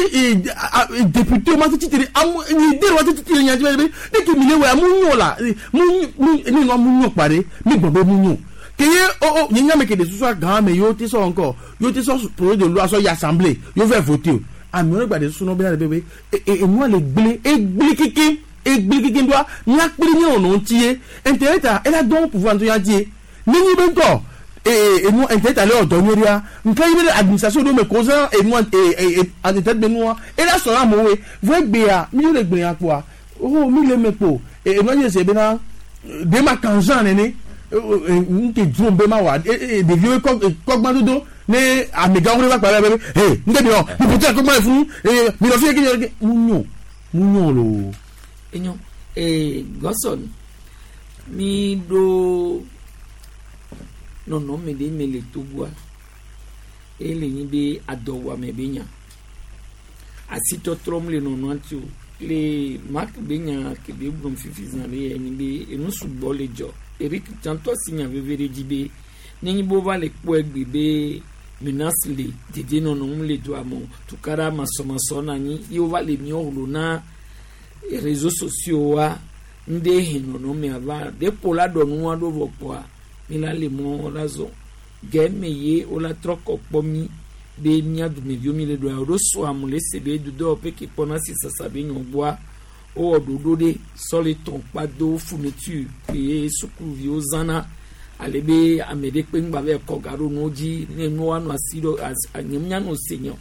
[SPEAKER 23] député ma ti tiri amu ni de wa ti tiri nya ti be ne ke mi le wa mu nyo la mu mu ni no mu nyo pare mi gbɔn be mu nyo keye o o nye nya me ke de susu gan me yo ti sɔ encore yo ti sɔ projet de loi sɔ yi assemblée yo fɛ voter o ame wòle gba de susu n'o bɛ na de bɛ e enua le gblẽ egblẽ keke egblẽ keke doa miakpli nye wònɔ ŋuti ye internet a ela dɔn pouvoir ŋutɔ ya di ye nenye be ŋutɔ ee enu internet ale ɔdɔ nyuie ɖia nke yi be le administration ɖo me ko zã enua ee internet be nua ela sɔrɔ amewo ye vɔ egbea mi le gblẽ ya kpoa o mi le me kpo enua dze se bena ɖe ma kan zã nene nke dzrom be ma wa ɖeviwo kɔ kɔgba dodo ne amegãwo ɖe va kpa ɖe be he nke bi wɔ mi ƒote kɔgba le funu ee mi nɔ fi ye ke mu nyo mu nyo loo.
[SPEAKER 3] Enyo ee Godson mi ɖo nɔnɔme ɖe me le Togoa ele nyi be adɔwɔame be nya asitɔtrɔm le nɔnɔa ŋuti o le Mark be nya ke be gblɔm fifi zã ɖe ye nyi be enu sugbɔ le dzɔ Eric tsãtɔ si nya veve ɖe dzi be nenye be wova le kpɔe gbe be menace le dedienɔnɔ ŋu le dua me o tukaɖa masɔmasɔ na anyi ye wova le míawo hlo na réseaux sociaux wa ŋɖe he nɔnɔmea va ɖe la ɖɔ nua ɖo vɔ kpoa mi la le mɔ la zɔ gɛmɛ ye wola trɔ kɔ kpɔ mi be mía dumeviwo mi le ɖoa ɖo sɔ amu le se be dudɔwɔƒe ke kpɔna si sasa be nyɔ gbɔa wowɔ ɖoɖo ɖe sɔ le tɔn kpa do fourniture ke sukuviwo zãna ale be ame ɖe kpe ŋgba va kɔ ga ɖo nuwo dzi ne nuwo anɔ asi ɖo nye mianɔ se nyɔ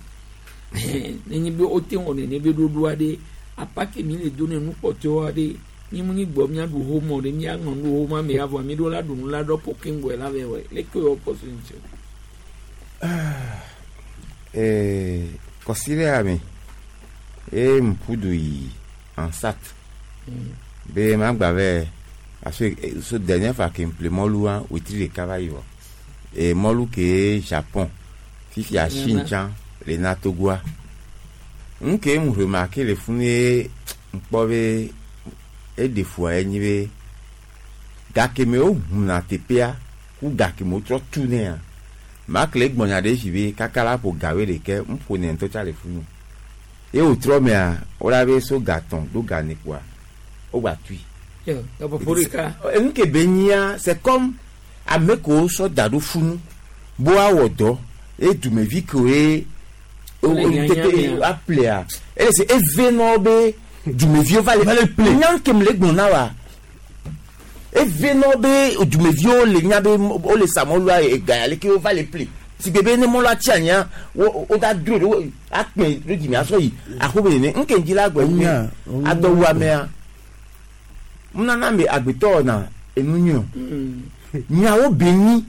[SPEAKER 3] nenye be wote wɔ nene be ɖoɖoa ɖe apake mi le do ne nukpɔtɔwoa ɖe mi mu nyi gbɔ miaɖu homɔ ɖe miaŋlɔ nu homa me avɔ mi ɖo la ɖu nu la ɖɔ po keŋgbɔe la vɛ wɔ leke wɔ kpɔ so ŋuti o.
[SPEAKER 10] Kɔsiɖea me ye ŋƒu yi ansat be magba vɛ parce que so dernière fois ke ŋƒle mɔlua wetri ɖeka va yi vɔ e mɔlu ke Japon fifia Chine tsã le na Togoa ŋke ŋu remarqué le funu ye ŋkpɔ be eɖe fua ye nyi be gake me wo ʋuna teƒea ku gake me wotrɔ tu nea makle gbɔnya ɖe si be kaka la ƒo gawe ɖeke ŋƒo ne ŋutɔ tsa le funu ye wòtrɔ mea wola be so gatɔn ɖo ga ne kpoa wogba tui.
[SPEAKER 3] Gaƒoƒo ɖeka.
[SPEAKER 10] Enu ke be nyia c'est comme ame kewo sɔ da ɖo funu bo awɔ dɔ ye dumevi kewoe tete aplea ele se eve nɔ be dumeviwo va le ple nya ke me le gblɔ na wa eve nɔ be dumeviwo le nya be wole sa mɔlua ega ya leke wova le ple si gbe be ne mɔlua tsi anyia wo wo da dro ɖo akpɛ ɖo dzime asɔ yi aƒeme nene ŋke ŋdzi la gbɔ enye adɔwuamea nunana me agbetɔ wɔna enu nyui o nyawo be nyi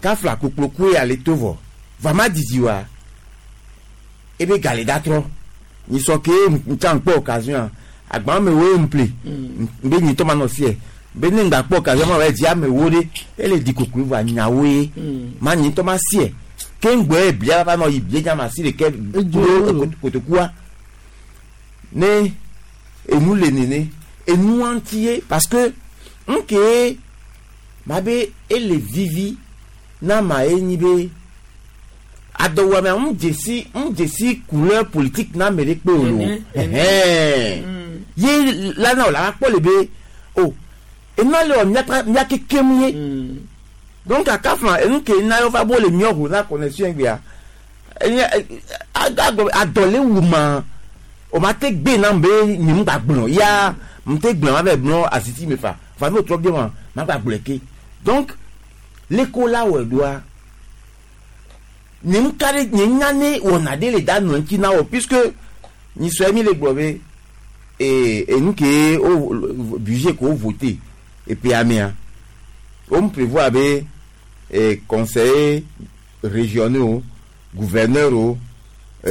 [SPEAKER 10] kafla kokplokue ale to vɔ vama didi wa ebe gale da trɔ nyisɔ ke ntsa ŋkpɔ occasion agban me wo ŋple be nyitɔ ma nɔ fiɛ be ne ŋgba kpɔ occasion ma wɔ dzi amewo ɖe ele di koklo vɔ nyawo ye ma nyitɔ ma siɛ ke ŋgbɔ eblia va nɔ yi bie nya ma si ɖeke kudo kotokua ne enu le nene enua ŋuti ye parce que ŋke ma be ele vivi na ma ye nyi be adɔwɔamea ŋu dzesi ŋu dzesi couleur politique na ame ɖe kpe o lo ɛhɛn ye la na o la kpɔ le be o enua le wɔ miaka miake kem ye donc akafla enu ke na yɔ va bo le miɔ ʋu na connexion gbea enye agblɔ adɔ le wu ma o ma te gbe na be nye ŋu gba gblɔ ya m te gblɔ ma bɛ gblɔ asiti me fa fa n'o trɔ bie ma ma gba gblɔe ke donc leko la wɔ ɖoa nye ŋu ka ɖe nye nya ne wɔna ɖe le da nɔ ŋuti na wɔ puisque nyisɔe mi le gblɔ be ee enu ke o budget ko voté epe amea o mu prévoir be ee conseiller régionaux o gouverneur o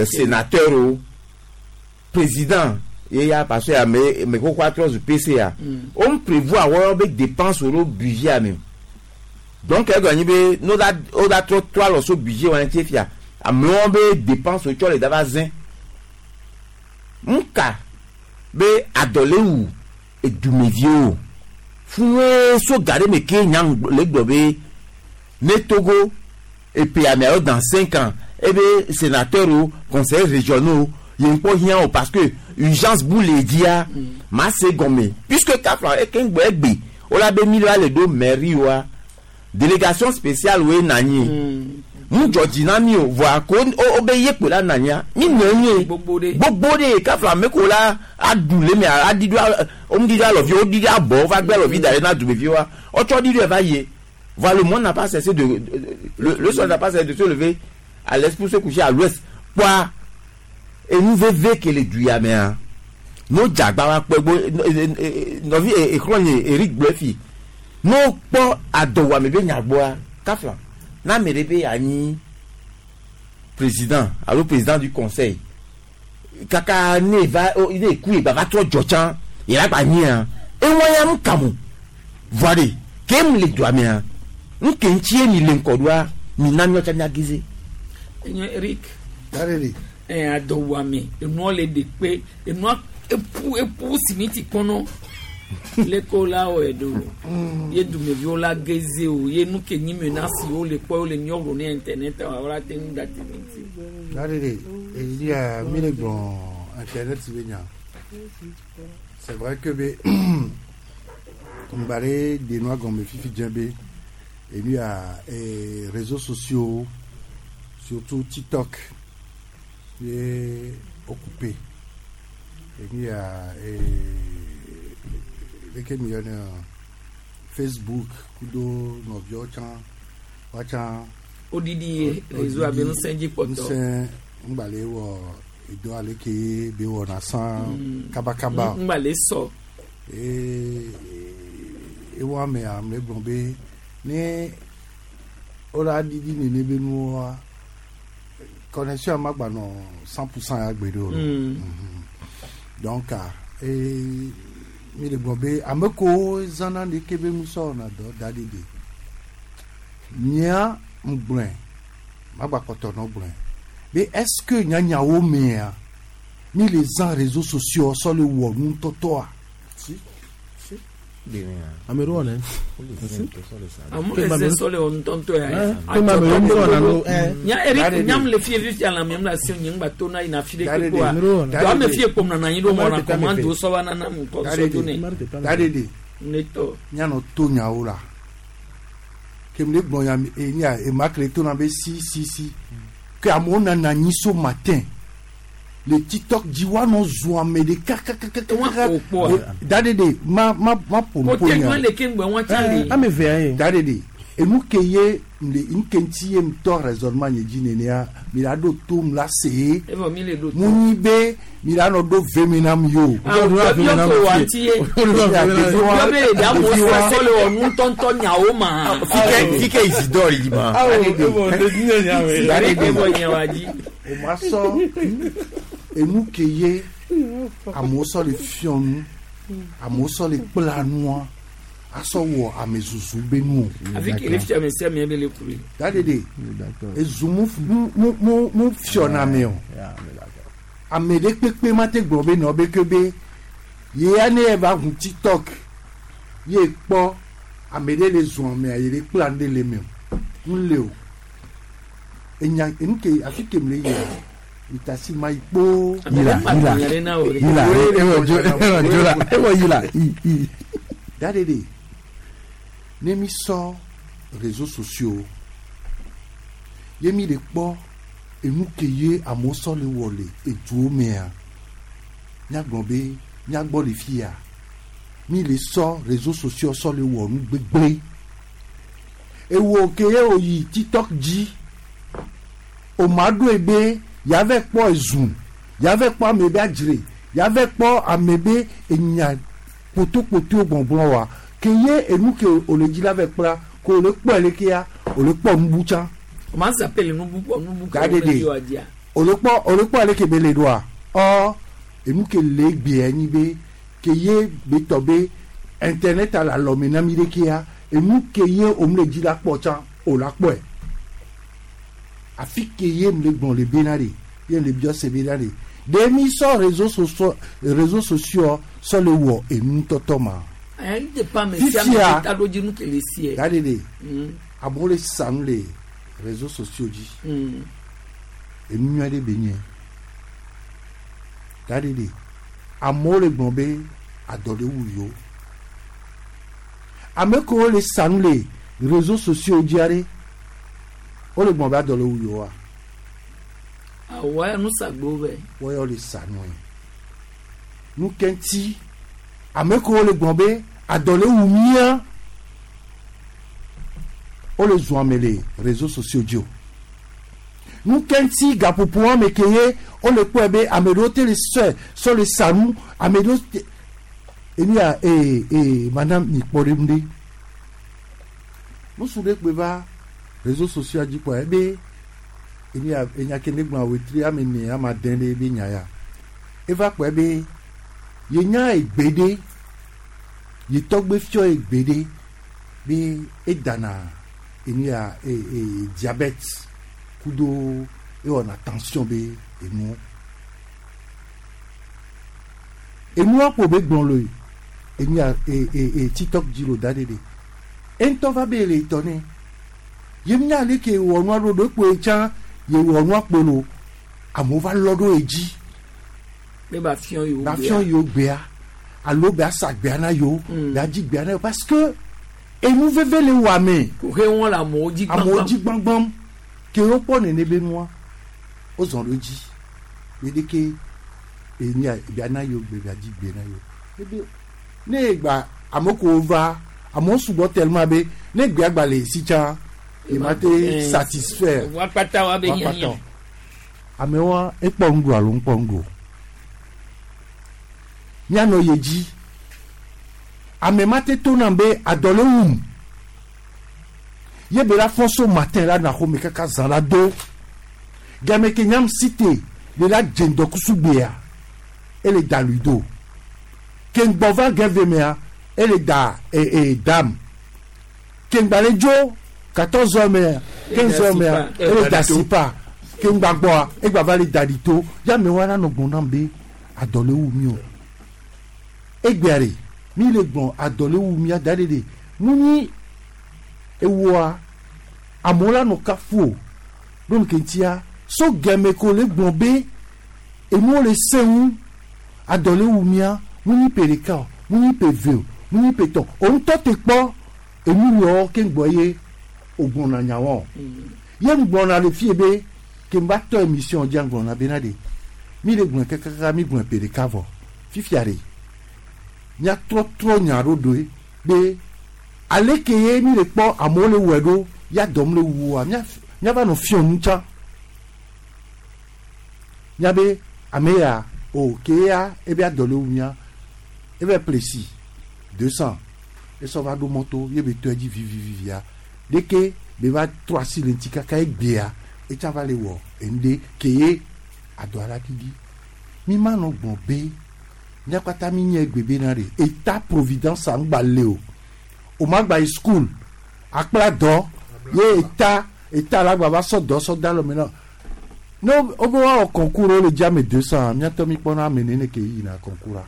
[SPEAKER 10] sénateur o président ye ya parce que ame ame koko atrɔ zu PCA o mu prévoir wɔyɔ be dépense wo ɖo budget ame o. Donc egɔ nyi be no da o da trɔ trɔ alɔ so budget wɔn ŋuti fia amewo be dépense wotsɔ le da va zẽ ŋka be adɔlewu edumeviwo fún so ga ɖe me ke nya le gblɔ be ne Togo epe ameawo dans 5 ans ebe sénateur o, conseiller régionaux ye ŋkpɔ hiã o, parce que urgence bu le dzia ma se gɔme, puisque kafla eke ŋgbɔ egbe wola be mi la le ɖo mairie wa délégation spéciale woe na anyi mu dzɔ dzi na mi o, voa ko wo be ye kpo la na anyia mi nɔ nye gbogbo ɖe kafla ame ko la aɖu le me aɖi ɖo wo ɖi ɖo alɔvi wo ɖi ɖo abɔ wo va gbe alɔvi da ɖe na dumevi wa wotsɔ ɖi ɖo eva yie. Voilà, le monde n'a pas cessé de, le soleil n'a pas cessé de se lever à l'est pour se coucher à l'ouest. Quoi? Enu veve ke le du ya mea no dzagba wa kpɔ egbo nɔvi exlɔ nye Eric gblɔ fi no kpɔ adɔwɔame be nyagbɔa kafla na ame ɖe be anyi président alo président du conseil kaka ne va ne ku ye gba va trɔ dzɔ tsã yɛrɛ gba nyia ewɔ ya nu kamu voa de ke mu le dua mea nke ŋuti ye mi le ŋkɔ ɖoa mi na miɔ tsa mia gize.
[SPEAKER 3] Enye Eric. Ɛ adɔwɔame enua le ɖe kpe enua epu epu simiti kɔnɔ leko la wɔe do ye dumeviwo la geze o ye nu ke nyi menace wo le kpɔ wo le miɔwɔ ne internet wa wala te ŋu da te ŋuti.
[SPEAKER 9] Dadede, eyi mi le gblɔ internet be nya. C'est vrai que be ŋgba ɖe de nua gɔme fifi dze be enu ya réseaux sociaux, surtout TikTok, ye occupé enu ya leke mi yɔnɛ, Facebook kudo nɔviawo tsã woatsã.
[SPEAKER 3] Odidi ye réseau abe ŋusẽ dzi kpɔtɔ.
[SPEAKER 9] Ŋusẽ ŋgba le wɔ edɔ ale ke be wɔna sã kabakaba.
[SPEAKER 3] Ŋgba le sɔ.
[SPEAKER 9] Ee ewɔ ame ame gblɔ be ne wola ɖiɖi nene be nuwoa, connexion ma gba nɔ 100% ya gbe ɖe o. Donc ee mi le gblɔ be ame kewo zãna ɖeke be ŋusẽ wɔna dɔ da ɖi de nyea ŋgblɔe magba kpɔtɔ nɔ gblɔe be est-ce que nyanyawo mea mi le zã réseaux sociaux sɔ le wɔ nutɔtɔa?
[SPEAKER 1] Si si ame ɖewo wɔnɛ.
[SPEAKER 3] Amu le se sɔ le wɔ ŋutɔŋutɔ ya. Nya Eric nyam le fie fifia la mi la se nye ŋgba to na yina fi ɖe kpe koa do ame fie kpom nana anyi ɖo mɔna commande sɔ va nana mu kɔ sɔ do ne.
[SPEAKER 9] Dadede.
[SPEAKER 3] Ne tɔ.
[SPEAKER 9] Mianɔ to nyawo la kemi le gblɔ ya enya ema kele to na be si si si ke amewo nana anyi so matin le TikTok dzi woanɔ zu ame ɖeka kakakaka dadede ma ma ma ƒo nu
[SPEAKER 3] ƒo nya le ke ŋgbɛ wɔn tsa le.
[SPEAKER 1] Ame vea ye.
[SPEAKER 9] Dadede enu ke ye le nke ŋuti ye ŋutɔ raisonnement nye dzi nenea mi la ɖo to mu la se ye.
[SPEAKER 3] Evɔ mi le ɖo to.
[SPEAKER 9] Mu nyi be mi la nɔ ɖo vemi nam yi o.
[SPEAKER 3] Yɔ ko wa ŋuti ye yɔ be ɖe amewo sɔ le wɔ ŋutɔŋutɔ nyawo ma.
[SPEAKER 10] Fike fike Isidore yi ma.
[SPEAKER 3] Dadede evɔ nye wa dzi.
[SPEAKER 9] O ma sɔ enu ke ye amewo sɔ le fiɔ nu, amewo sɔ le kpla nua asɔ wɔ ame zuzu be nu o.
[SPEAKER 3] Afi ke le fia me sia me be le kure.
[SPEAKER 9] Dadede ezu mu mu mu mu fiɔna ame o, ame ɖe kpekpe ma te gblɔ be nɔ be ke be ye ne ye va ʋu TikTok ye kpɔ ame ɖe le zɔn amea ye le kpla nu ɖe le eme o nu le o enya enu ke afi ke mi le yia itasi ma yi kpoo.
[SPEAKER 1] Yila yila yila ewɔ dzo ewɔ dzo la ewɔ yila i i.
[SPEAKER 9] Dadede, ne mi sɔ réseaux sociaux ye mi le kpɔ enu ke ye amewo sɔ le wɔ le eduwo mea, míagblɔ be míagbɔ le fia mi le sɔ réseaux sociaux sɔ le wɔ nu gbegblẽ. Ewɔ ke ye o yi TikTok dzi o ma ɖoe be yavɛ kpɔ ezu, yavɛ kpɔ ame be adzre, yavɛ kpɔ ame be enya kpotokpoto gbɔgblɔ wa ke ye enu ke o le dzi la vɛ kpla ko o le kpɔe le kea o le kpɔ nubu tsã.
[SPEAKER 3] O ma zappé le nubu kpɔ nubu ke
[SPEAKER 9] Dadede.
[SPEAKER 3] o le dzi wa dzia.
[SPEAKER 9] O le kpɔ ale ke be le ɖoa ɔ enu ke le egbea nyi be ke ye be tɔ be internet le alɔme na mi ɖe kea. Enu ke ye òun le dzi la kpɔ tsã o la kpɔe. Afi ke ye le gblɔ le bena ɖe ye le biɔ se bena ɖe. Ɖe mi sɔ réseaux sociaux réseaux sociaux sɔ le wɔ enu tɔtɔ ma.
[SPEAKER 3] Ɛn de pa me sia me taɖodzinu ke le sie.
[SPEAKER 9] Da ɖe ɖe. Amewo le sa nu le réseaux sociaux dzi. Enu nyui aɖe be nye. Da ɖe ɖe. Amewo le gblɔ be adɔ ɖe wu yewo. Ame kewo le sa nu le réseaux sociaux dzi aɖe wole gblɔ be adɔ le wu yewoa.
[SPEAKER 3] Awɔ ya nusagbewo bɛ.
[SPEAKER 9] Wɔyɔ le sa nue. Nu ke ŋuti ame kewo le gblɔ be adɔ le wu mía wole zɔn ame le réseaux sociaux dzi o. Nu ke ŋuti gaƒoƒo ame ke ye wole kpɔe be ame ɖewo te le sɔe sɔ le sa nu ame ɖewo te enu ya ee ee mana mi kpɔ ɖe nu ɖe. Ŋutsu ɖe kpe va réseaux sociaux dzi kpɔa ebe enu ya enya ke ne gblɔ wetri ame ene ame ade ɖe ebe nya ya eva kpɔe be yenya egbe ɖe yetɔgbe fiɔ egbe ɖe be edana enu ya ee ee diabète kudo ewɔna tension be enuwo enua kpo be gblɔ le enu ya ee ee tiktok dzi lo da ɖe ɖe eŋutɔ va be le etɔ ne ye nya ale ke wɔ nua ɖo ɖo ekpoe tsã ye wɔ nua kpo lo amewo va lɔ ɖo edzi
[SPEAKER 3] Be ba fiɔ yewo
[SPEAKER 9] ba fiɔ yewo gbea alo be asa gbea na yewo be adzi gbea na yewo parce que enu veve le wɔ ame.
[SPEAKER 3] Koxe wɔn le amewo dzi gbãgbãm.
[SPEAKER 9] Amewo dzi gbãgbãm ke wokpɔ nene be nua wozɔn ɖo edzi be ɖeke enya bia na yewo gbe bia dzi gbe na yewo ebe ne egba ame kewo va amewo sugbɔ tellement be ne gbea gba le esi tsã ye ma te satisfaire.
[SPEAKER 3] Wa kpata wa be hiã hiã.
[SPEAKER 9] Amewoa ekpɔ nuɖu alo ŋkpɔ nuɖu o. Míanɔ ye dzi. Ame ma te to nam be adɔ le wum. Ye be la fɔ so matin la na xɔme kaka zã la do. Game ke nyam site le la dze ŋdɔkusu gbea ele da lui do. Ke ŋgbɔ va gɛve mea ele da e e dam. Ke ŋgba le dzo 14 heures mea 15 heures mea ele da sipa. Ke ŋgba gbɔa egba va le da ɖi to. Ya amewoa la nɔ gblɔm nam be adɔ le wu mi o. Egbea ɖe mi le gblɔ adɔ le wu mia da ɖe ɖe nu nyi ewoa amewo la nɔ kafu o. Ɖo nu ke ŋutia so gɛme ko le gblɔ be enuwo le sẽ ŋu adɔ le wu mia mu nyi ƒe ɖeka o mu nyi ƒe eve o mu nyi ƒe etɔ̃ o ŋutɔ te kpɔ enu yɔ ke ŋgbɔ ye o gblɔna nyawoa o. Ye ŋgblɔna le fie be ke ŋva tɔ émission dzia ŋgblɔna bena ɖe mi le gblɔe kakaka mi gblɔe ƒe ɖeka vɔ fifia ɖe míatrɔtrɔ nya ɖo ɖoe be ale ke ye mi le kpɔ amewo le wɔe ɖo ya dɔm le wua míava nɔ fiɔ nu tsã míabe ame ya o ke ya ebe adɔ le wu mía ebe plesi 200 esɔ va ɖo mɔto ye be tɔe dzi vivivivia ɖeke be va trɔ asi le ŋuti kaka egbea etsa va le wɔ enu ɖe ke ye adɔ ala ɖiɖi mi ma nɔ gblɔ be mía kpata mi nye egbe bena ɖe état providence ŋgba le o o ma gba yi school akpla dɔ ye état état la gba va sɔ dɔ sɔ da lɔ me na ne wo be woawɔ concours wo le dzi ame 200 míatɔ mi kpɔna ame nene ke yina concours a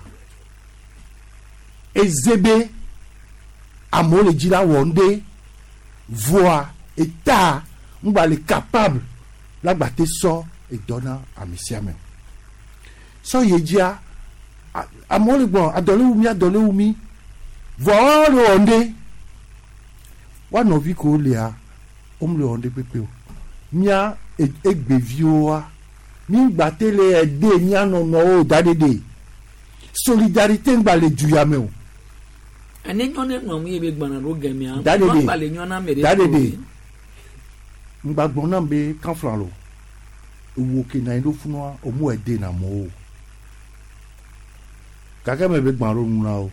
[SPEAKER 9] eze be amewo le dzi la wɔ ŋɖe voa état ŋgba le capable la gba te sɔ edɔ na ame sia ame sɔ yi dzia amewo le gblɔ adɔ le wu mi adɔ le wu mi vɔa woawo le wɔ ŋɖe woa nɔvi kewo lia wome le wɔ ŋɖe kpekpe o mía egbeviwoa mi ŋgba te le ɛde mía nɔnɔwo da ɖeɖe solidarité ŋgba le du ya me o.
[SPEAKER 3] Ane nyɔ ne nɔ mu ye be gbana ɖo gɛmea.
[SPEAKER 9] Da ɖeɖe
[SPEAKER 3] ŋgba le nyɔ na ame ɖe.
[SPEAKER 9] Da ɖeɖe ŋgba gblɔ nam be kanfla lo ewo ke na anyi ɖo funua omu ɛde na amewo o gake me be gbã ɖo nu na wo.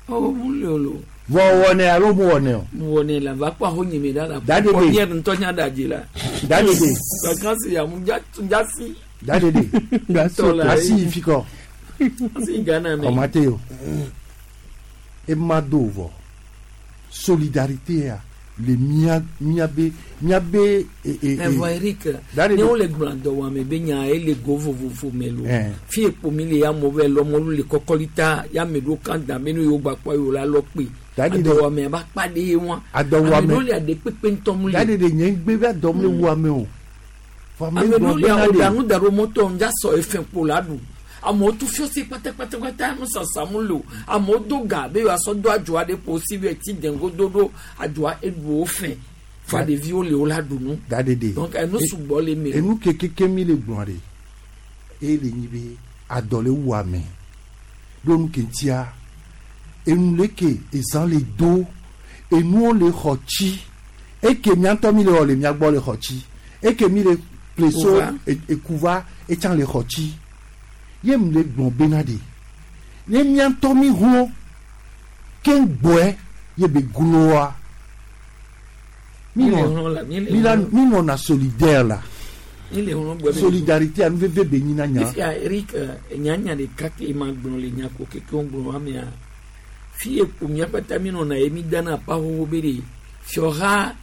[SPEAKER 3] O mu le o lo.
[SPEAKER 9] Vɔ wɔnɛ alo mu wɔnɛ o.
[SPEAKER 3] Mu wɔnɛ la va kpɔ aho nyime ɖa la.
[SPEAKER 9] Da ɖeɖe.
[SPEAKER 3] Kpɔ nye ŋutɔ nya ɖe adzi la.
[SPEAKER 9] Da ɖeɖe.
[SPEAKER 3] Vacances ya mu dza dza si.
[SPEAKER 9] Da ɖeɖe. Asi yi fi kɔ.
[SPEAKER 3] Asi Ghana me.
[SPEAKER 9] Ɔmate o. Ema do vɔ. Solidarité ya le mía míabe míabe e e
[SPEAKER 3] Evɔ Eric, ne wole gblɔ dɔwɔame be nya ele go vovovo me lo. Fi ekpo mi le ya mo be lɔ mɔlu le kɔkɔlita ya me ɖo kan da me nu yewo gba kpɔ yewo la lɔ kpe. Adɔwɔame ba kpa ɖe ye wa.
[SPEAKER 9] Adɔwɔame.
[SPEAKER 3] Ame ɖewo le aɖe kpekpe ŋutɔ mu le.
[SPEAKER 9] Dadi de nye ŋgbe be adɔm le wu ame o. Vɔ
[SPEAKER 3] Ame ɖewo
[SPEAKER 9] gblɔ
[SPEAKER 3] le
[SPEAKER 9] bena
[SPEAKER 3] awo
[SPEAKER 9] ɖe-
[SPEAKER 3] ɖa nu da ɖo mɔtɔ ŋdza sɔ efe kpo la ɖu. Amewo tu fiɔsi kpatakpatakpata nusasa mu le o. Amewo do ga be yewoasɔ do adzɔa ɖe kpo si be ti dengo do ɖo adzɔa eɖu wo fɛ. Fa ɖeviwo le wo la ɖu nu.
[SPEAKER 9] Dadi de.
[SPEAKER 3] Donc enu sugbɔ le eme.
[SPEAKER 9] Enu ke keke mi le gblɔ ɖe eye le nyi be adɔ le wu ame ɖo nu ke ŋutia enu le ke ezã le do enuwo le xɔ tsi eke mía ŋutɔ mi le wɔ le mía gbɔ le xɔ tsi eke mi le ple so
[SPEAKER 3] Kuva.
[SPEAKER 9] ekuva etsã le xɔ tsi ye mu le gblɔ bena ɖe ne mía ŋutɔ mi hlɔ ke ŋgbɔe ye be gloa mi
[SPEAKER 3] Mi le
[SPEAKER 9] nɔ
[SPEAKER 3] hlɔ la, mi le
[SPEAKER 9] mi la
[SPEAKER 3] hlɔ.
[SPEAKER 9] mi nɔna solidaire la
[SPEAKER 3] Mi le hlɔ gbɔ be-
[SPEAKER 9] solidarité anu veve be nyina nya
[SPEAKER 3] Fifia Eric nyanya ɖeka ke ma gblɔ le nyako keke wo gblɔ amea fi ekpo mía kpata mi nɔna ye mi dana pa xoxo be ɖe fiɔha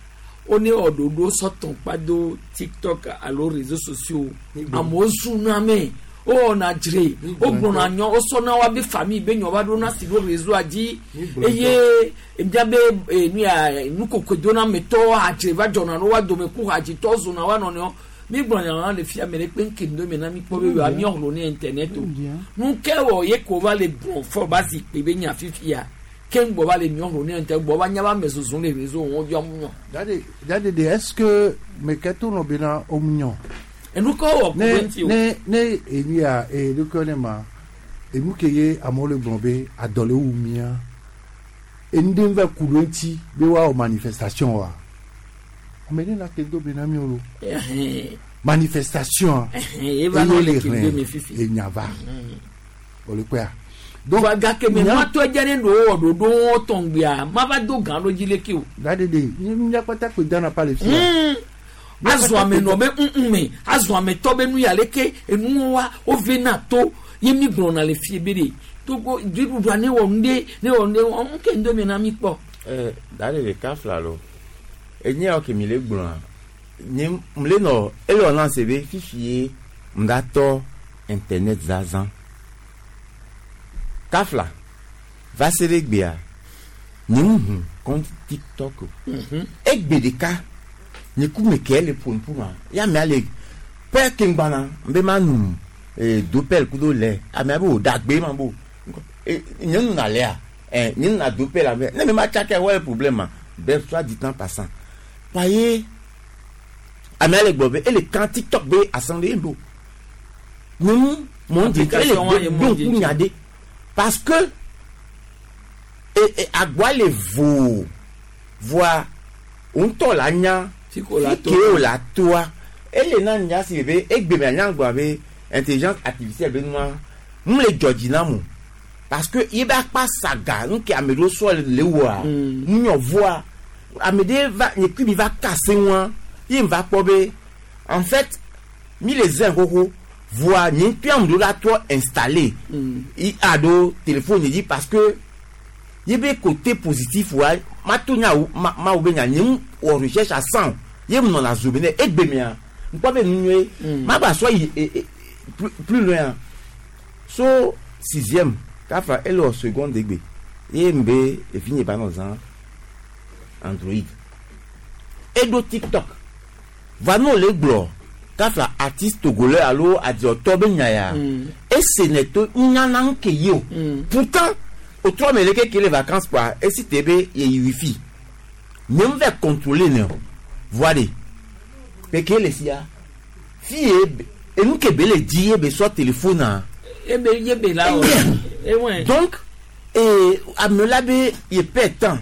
[SPEAKER 3] wo ne wɔ ɖoɖo sɔtɔn kpa do tiktok alo réseaux sociaux amewo zuna me wowɔna dzre wogblɔna nyɔ wosɔna wa be famille be nyɔ va ɖona si ɖo réseau dzi eye miabe nu ya nukokoedonametɔwo adzre va dzɔna ɖo wa dome ku hadzitɔwo zona wa nɔnɔewo mi gblɔ nya la le fia me ɖe kpe nke ŋdɔ me na mi kpɔ be yoa miɔ hlo ne internet o nu ke wɔ ye ko va le gblɔ fɔ ba zi kpe be nya fifia ke ŋgbɔ va le miɔ hlo ne internet gbɔ va nya ba me zozo le réseau wɔn yɔ mu nyɔ.
[SPEAKER 9] Dade dade de est-ce que meke to nɔ bena omunyɔ.
[SPEAKER 3] Enu ke wɔ
[SPEAKER 9] ne
[SPEAKER 3] ku ŋuti o.
[SPEAKER 9] ne ne enu ya enu ke ne ma enu ke ye amewo le gblɔ be adɔ le wu mía enu ɖe va ku ɖo ŋuti be woawɔ manifestation wa ame ɖe la ke do bena mi o lo manifestation
[SPEAKER 3] Ɛhɛn, eva nɔ le ke do me fifi.
[SPEAKER 9] enya va o le kpɔa.
[SPEAKER 3] Donc gake me ma tɔ dze ne ɖo wɔ ɖoɖo wɔn tɔngbia ma va do gã ɖo dzi leke o.
[SPEAKER 9] Dade de mía kpata kpe dana pa le fia.
[SPEAKER 3] Azɔ ame nɔ be ŋuŋ me azɔ ame tɔ be nu ya leke enuwo wa wo ve na to ye mi gblɔna le fie be de togo dziɖuɖua ne wɔ nu ɖe ne wɔ nu ɖe wɔ ŋke ŋdɔ me na mi kpɔ.
[SPEAKER 10] ɛ dade ɖeka fila lo enye yawo ke mi le gblɔa nye m le nɔ ele wɔ na se be fifi ye m da tɔ internet zazã kafla va se ɖe gbea nye ŋu hu compte tiktok o egbe ɖeka nye ku me ke le ƒo ma ya mea le pɛ ke ŋgbana n be ma nu ee dopel kudo lɛ amea be o da gbe ma bo e nye nuna lɛa ɛ nye nuna dopel ame ne mi ma tsaka wɔ le problème ma bɛɛ soit dit en passant paye amea le gblɔ be ele kan tiktok be assemblée do nyɔnu mɔn di ele
[SPEAKER 3] Application wa ye
[SPEAKER 10] do
[SPEAKER 3] mɔn di.
[SPEAKER 10] ŋku nya de parce que e e agboa le voo voa ŋutɔ la nya
[SPEAKER 3] Fi ko la to.
[SPEAKER 10] ke o la toa ele na nya si be egbe me anya gblɔ be intelligence artificielle be nua mu le dzɔ dzi na mu parce que ye be akpa saga nu ke ame ɖewo sɔ le wɔa nunyɔvoa ame ɖe va nye kui mi va kase ŋua ye mi va kpɔ be en fait mi le zɛn xoxo voa nye ŋutɔ ame ɖewo la trɔ installé i aɖo téléphone dzi parce que ye be côté positif wa ma to nya wo ma ma wo be nya nye ŋu wɔ recherche à 100 ye mu nɔna zo be ne egbe mea ŋkpɔ be nu nyuie ma gba sɔ yi e e plus plus loin so sixième kafa ele wɔ seconde egbe ye m be efi nye ba nɔ zã android eɖo tiktok va n'o le gblɔ kafa artiste togolais alo adiɔtɔ be nya ya ese ne to nyana ŋke ye o pourtant o trɔ me leke ke le vacances kpa esi te be yeyi wifi nye ŋu vɛ contrôler ne o voa de peke le sia fi ye enu ke be le di ye be sɔ téléphone a
[SPEAKER 3] ebe ye be la wɔ ewɔn.
[SPEAKER 10] donc ee ame la be ye pɛ tan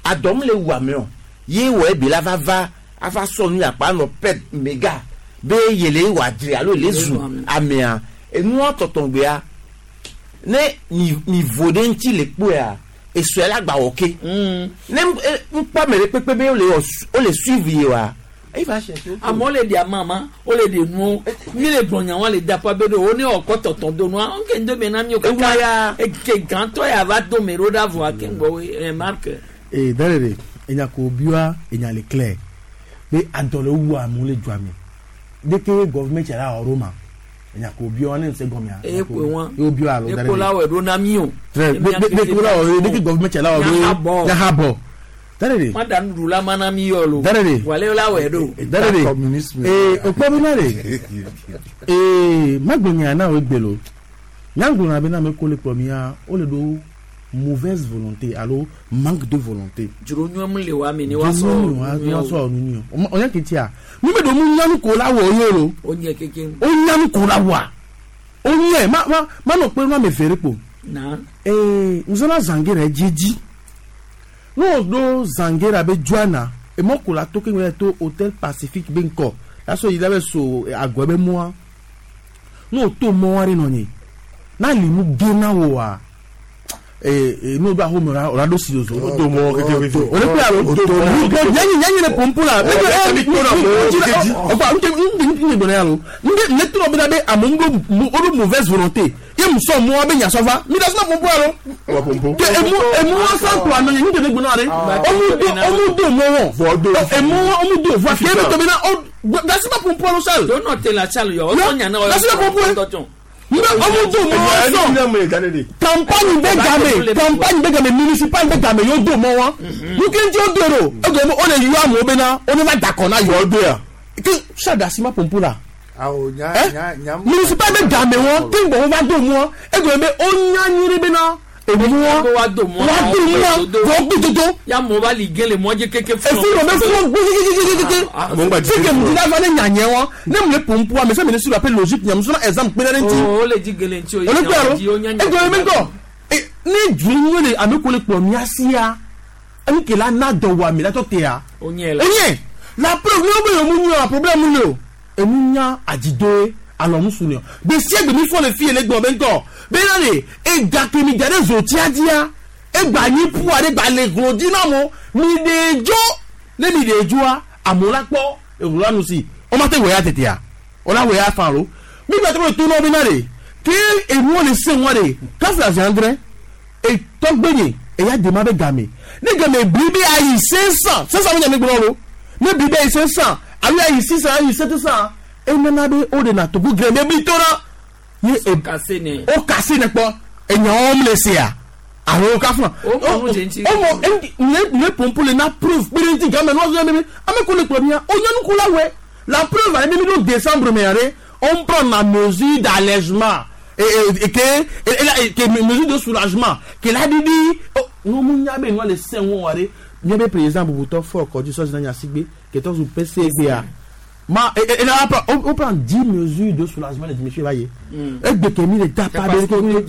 [SPEAKER 10] adɔm le wu ame o ye wɔ ebe la va va ava sɔ nu yakpa nɔ pɛ mega be yele wɔ adre alo le zu amea enua tɔtɔngbea ne mi mi vo ɖe ŋuti le kpoea esɔe la gba wɔ ke ne ŋkpɔ ame ɖe kpekpe be wole wɔ wole suivre ye wa Il va chercher.
[SPEAKER 3] Amewo le ɖe amama, wole ɖe nuwo, mi le gblɔ nya wa le da ƒe be ɖo wo ne wɔ tɔtɔ do nua, ŋke ŋdo me na mi o kaka eke gãtɔ ya va do me ɖo ɖa vɔa ke ŋgbɔ woe ɛ Marc.
[SPEAKER 23] Ee dale enya ko bia enya le clair be adɔ le wu amewo le dua me deke gɔvumɛnt la wɔ ɖo ma enya ko bia ne ŋusẽ gɔmea.
[SPEAKER 3] Eye koe wa
[SPEAKER 23] ye wo bia alo
[SPEAKER 3] dale. Eko la wɔ ɖo na mi o.
[SPEAKER 23] Très deke la wɔ deke gɔvumɛnt la wɔ ɖo yaha bɔ. Dale
[SPEAKER 3] Ma da nuɖuɖu la mana mi yɔ lo.
[SPEAKER 23] Dale
[SPEAKER 3] Wale la wɔ ɖo.
[SPEAKER 23] Dale ee okpɔ bi na de ee magbonya na wo egbe lo nyagbona be na ame ko le kplɔ mia wo le ɖo mauvaise volonté alo manque de volonté.
[SPEAKER 3] Dzro nyɔm le wa mi ne wa sɔ.
[SPEAKER 23] Wa sɔ nu nyɔ ɔnyɛ ketia mi bɛ don mu nyanu ko la wɔ ye lo.
[SPEAKER 3] O nyɛ keke.
[SPEAKER 23] O nyanu ko la wa o nyɛ ma ma ma nɔ kpe ma me feere kpo.
[SPEAKER 3] Na.
[SPEAKER 23] Ee nzɔna zangere dzedzi n'o do zangere abe dzoana emɔ ko la to ke ŋlɔ to hôtel Pacifique be ŋkɔ lasɔ yi la bɛ so agɔ bɛ mɔa n'o to mɔ wari nɔ nye n'a limu gena wo wa ee n'o do ahome o la do si zozo.
[SPEAKER 1] O do mɔ keke wifi.
[SPEAKER 23] O le pe alo yanyi yanyi le pompo la. Ɔfa n tɛ n gbɔdɔ yalo n ne tɔnɔ bɛ na bɛ amewo o do mauvaise volonté ye muso mɔ bɛ ɲasɔfa mi da suma pompo alo. Ke emu emu wa san kura nɔ ye n tɛ ne gbɔdɔ ale. Ɔmu do mɔ wɔ. Emu ɔmu do voa ke ebe tobi na ɔ da suma pompo alo sal.
[SPEAKER 3] To nɔ te la sal yɔ o tɔ ɲana o
[SPEAKER 23] Da suma pompo ye. Nbẹ ọmọ tó mọ wọn sọ campagne bẹ game campagne bẹ game municipal bẹ game yóò dùn mọ wọn nké tí ó dèrò ó dùn ó lè yọ àmọ́ bẹ náà ó ní má dàkọ̀ náà yọ. Kí sàdásí má pompo la municipal bẹ game wọn tí n bọ̀ wọn bá dùn mọ́ ẹ dùn bẹ ó nyanyiri bẹ náà èmi wọn
[SPEAKER 3] wa dùn mọ́
[SPEAKER 23] wa dùn mọ́ wọ́n gbé dodo.
[SPEAKER 3] Ya mɔ ba li gɛlɛ mɔ jɛ keke
[SPEAKER 23] fún. Efi rɔ bɛ fún gbé kékékékéké. Fike mu ti dafa ne nyanyɛ wɔn ne mu le pompo ame sɛ mi ne su la pe logique nyamu sɔrɔ exemple kpe ɖe ŋuti.
[SPEAKER 3] O le dzi gɛlɛ ŋuti o
[SPEAKER 23] ye o nya nya. O le kpe alo e ne du ŋu le ame ko le kplɔ mia sia enu ke la na dɔ wɔ ame la tɔ tea.
[SPEAKER 3] O nyɛ la.
[SPEAKER 23] O nyɛ la preuve ne wo be yewo mu nyɔ problème le o enu nya adzidoe alɔmusu ne o gbesia gbemi fɔ le fi le gbɔ be ŋutɔ bena le egake mi da ɖe zotiadia egba nyi ƒua ɖe gba le glo dzi na mo mi ɖe dzo ne mi ɖe dzoa amewo la kpɔ eŋu la nu si woma te wɔ ya tetea wòla wɔ ya fan lo mi gba trɔ le to na wo bena le ke enuwo le se ŋua ɖe kafla zi andre etɔgbe nye eya dema be game ne game bli be ayi 500 500 mi nya mi gblɔ lo ne bli be ayi 500 alo ayi 600 ayi 700 enana be o de na togo grɛ be bli to na ye
[SPEAKER 3] o kase ne
[SPEAKER 23] o kase ne kpɔ enyawo mu le sea alo ka fún
[SPEAKER 3] o mɔ
[SPEAKER 23] o mɔ ne pompo le na preuve kpere ŋuti game n'o zɔn bebe ame ko le kplɔ mia o nyɔnu ko la wɛ la preuve ale mi do décembre mɛ yɛrɛ on prend la mesure d'allègement et que mesure de soulagement que la didi ŋo mu nya be ŋo le se ŋo wa de nya be président Bubutɔ fɔ kɔdzi sɔsi na Gnassingbé ketɔ zu PCBA ma et là on prend 10 mesures de soulagement les monsieur va y et de kemi le tapa de o do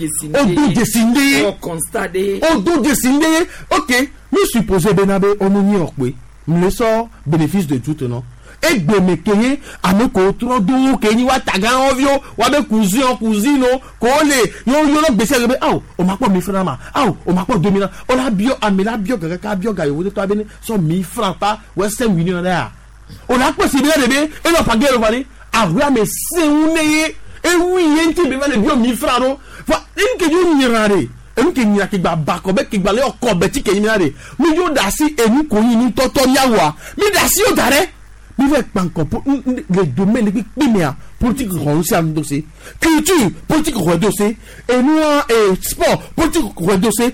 [SPEAKER 23] desinde
[SPEAKER 3] o constat de
[SPEAKER 23] o do desinde OK mi supposé benabe o mu ni ope mi le sọ bénéfice de doute non e gbeme keye ame ko trɔ do ke ni wa taga wɔvio wa be cousin o cousine o ko le yo yo no gbèsè be awo o ma kpɔ 1000 francs ma awo o ma kpɔ 2000 o la biɔ ame la biɔ gɛgɛ ka biɔ ga yewo tɔ abe ne sɔ 1000 francs pa wɛ 5 millions ɖe ya o la kpɔ si be ɖe be enɔ page le va de awo ame seŋu ne ye ewu ye ŋuti be va le biɔ 1000 francs ɖo fa enu ke dzo nyra de enu ke nyra ke gba ba kɔ be ke gba le ɔkɔ bɛ ti ke nyra de mi dzo da asi enu ko nyi nu tɔtɔ miawoa mi da asi wo da ɖe mi fɛ kpankɔ le domaine kpikpi mea politique rɔn si anu dose culture politique rɔn dose enua sport politique rɔn dose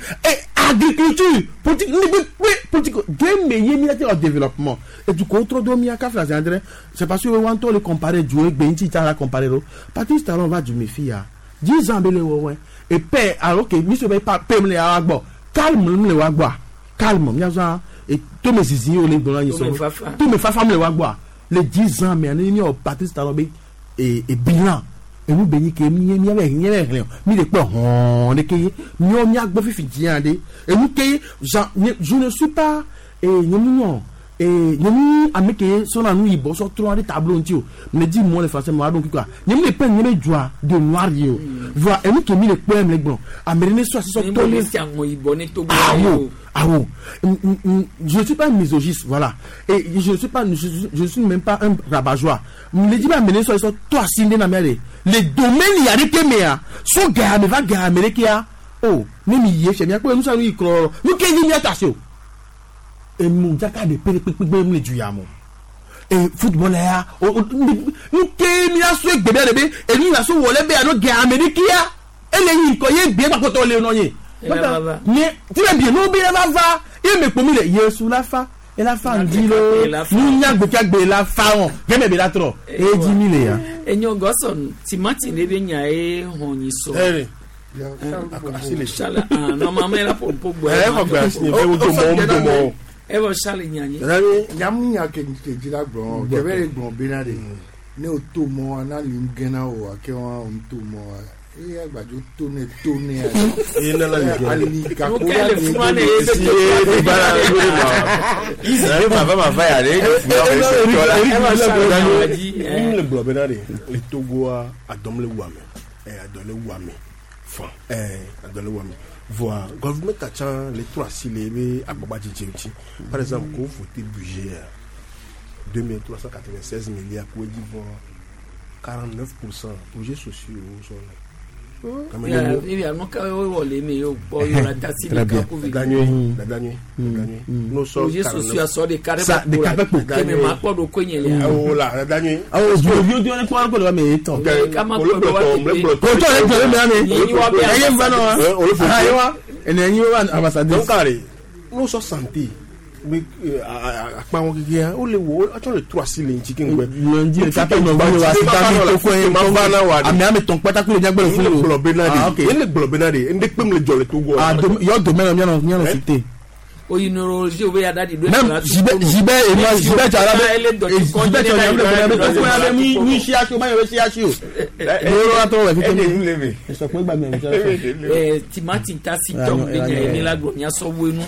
[SPEAKER 23] agriculture politique ni kpikpi politique game ye mi la développement et du coup trop do mi aka fila zandrɛ c'est parce que wọn tɔ le comparer du egbe ŋuti tsa la comparer lo Patrice Talon va du mi fi ya 10 ans bɛ le wɔwɛ et paix alors que mi sɔ bɛ pa paix mi le wa gbɔ calme mi le wa gbɔa calme miazɔ et tome zizi o le gbɔn anyi sɔ tome fafa mi le wa gbɔa le 10 ans mais ani mi o Patrice Talon be et bilan enu be nyi ke mi mi bɛ mi bɛ hlɛ mi le kpɔ hɔn de ke ye mi mi agbɔ fifi diɲɛ de enu ke je ne suis pas nye mu nyɔ Nye mi ame ke sɔna nu yibɔ sɔ trɔna ɖe tableau ŋuti o. Mle di mɔ le français me wa ɖo ŋku kɔa. Nye mi le peindre nye be dzoa de noir ye o. Vɔa enu ke mi le kpɔe mle gblɔ. Ame ɖe ne sɔ asi sɔ tɔ ne.
[SPEAKER 3] Si aŋɔ yibɔ ne Togo la ye
[SPEAKER 23] Awo,
[SPEAKER 3] o.
[SPEAKER 23] awo. Je ne suis pas un misogyste, voilà. Et je ne suis pas, je ne suis même pas un rabat-joie. Mle di be ame ɖe sɔ sɔ tɔ asi ɖe na mía ɖe. Le domaine ya ɖeke mea, so ga me va ga me ɖekea. Oh, ne mi yi efia míakpɔ nu sia nu yi klɔ. Nu ke dzi míata asi o. Emu dzaka ɖe pe ɖe kpekpe mu le du ya me o. E football ya, o o nu ke míasɔ egbe bia ɖe be enu ya so wɔ le be alo ga ame ɖekea. Ele yi ŋkɔ ye gbe gbakpɔtɔ le nɔ ye.
[SPEAKER 3] Ela va va.
[SPEAKER 23] Nye ti be bie no be va va ye me kpo mi le Yesu la fa. Ela fa ŋdi lo.
[SPEAKER 3] Ela fa.
[SPEAKER 23] Nunya gbekagbe la fa wɔn. Gɛmɛ be la trɔ. Edzi mi le ya.
[SPEAKER 3] Enyo Godson timati ne be nya ye hɔn nyi sɔ.
[SPEAKER 1] Ere.
[SPEAKER 3] Charles, ah, normalement elle a pour pour boire.
[SPEAKER 1] Eh, xɔ gbe asi nye be wodo mɔ, wodo mɔ.
[SPEAKER 3] Evɔ Charles nya nye.
[SPEAKER 9] Nyamu nya ke ke dzi la gblɔ kebe le gblɔ bena ɖe ne o to mɔ wa na li gena o wa ke wa o to mɔ wa eye agbadzo to ne to ne
[SPEAKER 1] Eye ne la li gena.
[SPEAKER 9] ali gako
[SPEAKER 3] Nu ke le funua ne ye be
[SPEAKER 10] Si ye ba la ye ma. Isi ye ma va ma va ya ɖe.
[SPEAKER 3] Evɔ Charles nya wa dzi.
[SPEAKER 1] Mi le gblɔ bena ɖe le Togoa adɔm le wu ame. Ɛ adɔ le wu ame. Fan. Ɛ adɔ le wu ame. Voa gouvernement tsã le trɔ asi le ebe agbagbadzedze ŋuti. Par exemple, ko voté budget ya 2396 milliards ko edzi vɔ 49% projets sociaux sɔ le.
[SPEAKER 3] Ya, ya, nu ka wo wɔ le eme ye o kpɔ yɔ la tasi
[SPEAKER 23] Très
[SPEAKER 3] ɖeka
[SPEAKER 23] bien.
[SPEAKER 3] ko vi.
[SPEAKER 1] Dada nyuie, dada nyuie, dada nyuie. No sɔ
[SPEAKER 3] Projet sociaux asɔ ɖeka ɖe
[SPEAKER 23] Sa- ɖeka ƒe kpo.
[SPEAKER 3] Keme ma kpɔ ɖo koe nye lia.
[SPEAKER 1] O la, dada nyuie.
[SPEAKER 23] Awo zoviwo di wɔn kpɔ kpɔ le me etɔ.
[SPEAKER 3] Ɖeka ma kpɔ ɖo wa teƒe.
[SPEAKER 23] Kòtò le gblɔ le me
[SPEAKER 3] Nyi wa be
[SPEAKER 23] ame. Eye nva nɔ wa.
[SPEAKER 1] Eh, olu fo.
[SPEAKER 23] Ah, ye wa. Ene enyi wa ambassadeur.
[SPEAKER 1] Donc are, no sɔ santé be akpa wọn keke o le wo atsɔ le trɔ asi le ŋuti keŋgbɛ.
[SPEAKER 23] Lundi le katã nɔ gbɔ wa sita mi to kɔe.
[SPEAKER 1] Ma va na wa de.
[SPEAKER 23] Ame ame tɔn kpata kple nyagbe le
[SPEAKER 1] N le
[SPEAKER 23] funu.
[SPEAKER 1] gblɔ bena
[SPEAKER 23] Ah, ok.
[SPEAKER 1] de. N le gblɔ bena de. N de kpem le dzɔ le Togo.
[SPEAKER 23] Ah, yɔ domaine mianɔ mianɔ cité.
[SPEAKER 3] Oyi neurologie wo be ya da di do.
[SPEAKER 23] Même Jibé Jibé et moi Jibé tsara be Jibé tsara be be be to ya be mi mi CHU ma yɔ be CHU. Yɔrɔ la tɔ wɛ fi tɛ mi. Sɔkpɛ gba mi.
[SPEAKER 3] Eh, timati tasi
[SPEAKER 23] Ah,
[SPEAKER 3] tɔm
[SPEAKER 23] non,
[SPEAKER 3] be
[SPEAKER 23] ah,
[SPEAKER 3] nya ye
[SPEAKER 23] non.
[SPEAKER 3] mi la gblɔ miasɔ woe nu.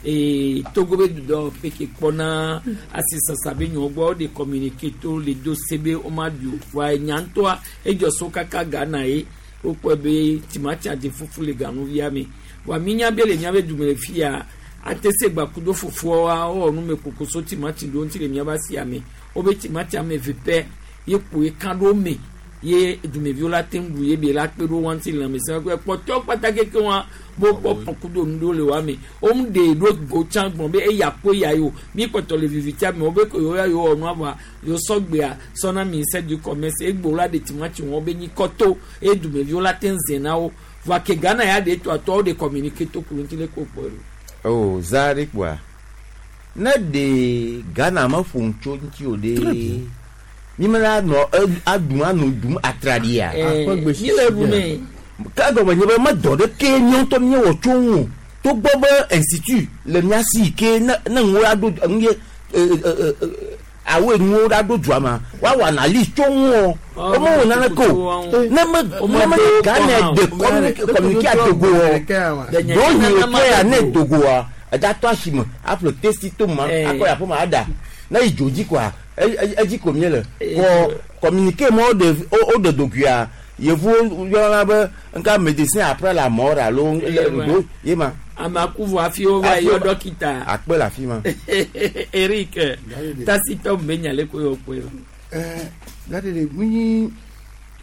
[SPEAKER 3] Ee, Togo be dudɔ peke kpɔna asisasa be nyɔ gbɔ de communiqué to le do se be wo ma ɖu o. Wa nya ŋutɔa edzɔ so kaka Ghana ye wokpɔe be timati adi fufu le ganuvia me. Wa mi nya be le miabe dume le fia ate se gbakudo fofoa wowɔ nume koko so timati ɖewo ŋuti le miabe asia me. Wobe timati ame eve pɛ ye ƒo ye ka ɖo me ye dumeviwo la te ŋu ɖu ye be la kpe ɖo wa ŋuti le lãmesẽ ƒe kpɔtɔ kpata keke wa bo kpɔ kpɔkudo nu ɖewo le wa me wo mu ɖe ɖo go tsã gblɔ be eya ko eya yi o mi kpɔtɔ le vivitia me wo be ko yewo ya yewo wɔ nua vɔa yewo sɔ gbea sɔna ministère du commerce egbo la ɖe timati wɔn be nyi kɔto eye dumeviwo la te ŋu zẽ na wo vɔa ke Ghana ya ɖe tɔ atɔwo ɖe communiqué to ku ŋuti le ko kpɔ ɖo.
[SPEAKER 10] O za ɖe kpoa. Ne ɖe Ghana me ƒo nu tso ŋuti o ɖe. Mi me la nɔ aɖum anɔ ɖum atraɖia.
[SPEAKER 3] Ɛɛ, mi le ɖu nɛ.
[SPEAKER 10] Ke gɔme nye be medɔ ɖeke míawo ŋutɔ míewɔ tso ŋu o. Togbɔ be institut le mía si yi ke ne ne nuwo aɖo nu ye awoe nuwo ɖaɖo dua ma woawɔ analyse tso ŋu o. Womewɔ naneke o. Ne me ne me Ghana de communiqué adogo o. Ɖewohĩ le ke ya ne dogoa edatɔ asime aƒle testi to ma akɔ yi aƒeme aɖa. Ne yi dzo dzi koa edzi ko míele. Kɔ communiqué ma woɖe woɖe dogoa yevuwo yɔna be nka médecin après la mort alo ɖo ye ma.
[SPEAKER 3] Ame aku vɔ hafi wova yɔ dɔkita.
[SPEAKER 10] Akpe le afi ma.
[SPEAKER 3] Eric tasitɔ be nya le ko yɔ kpɔe.
[SPEAKER 9] Ɛɛ gade de mi nyi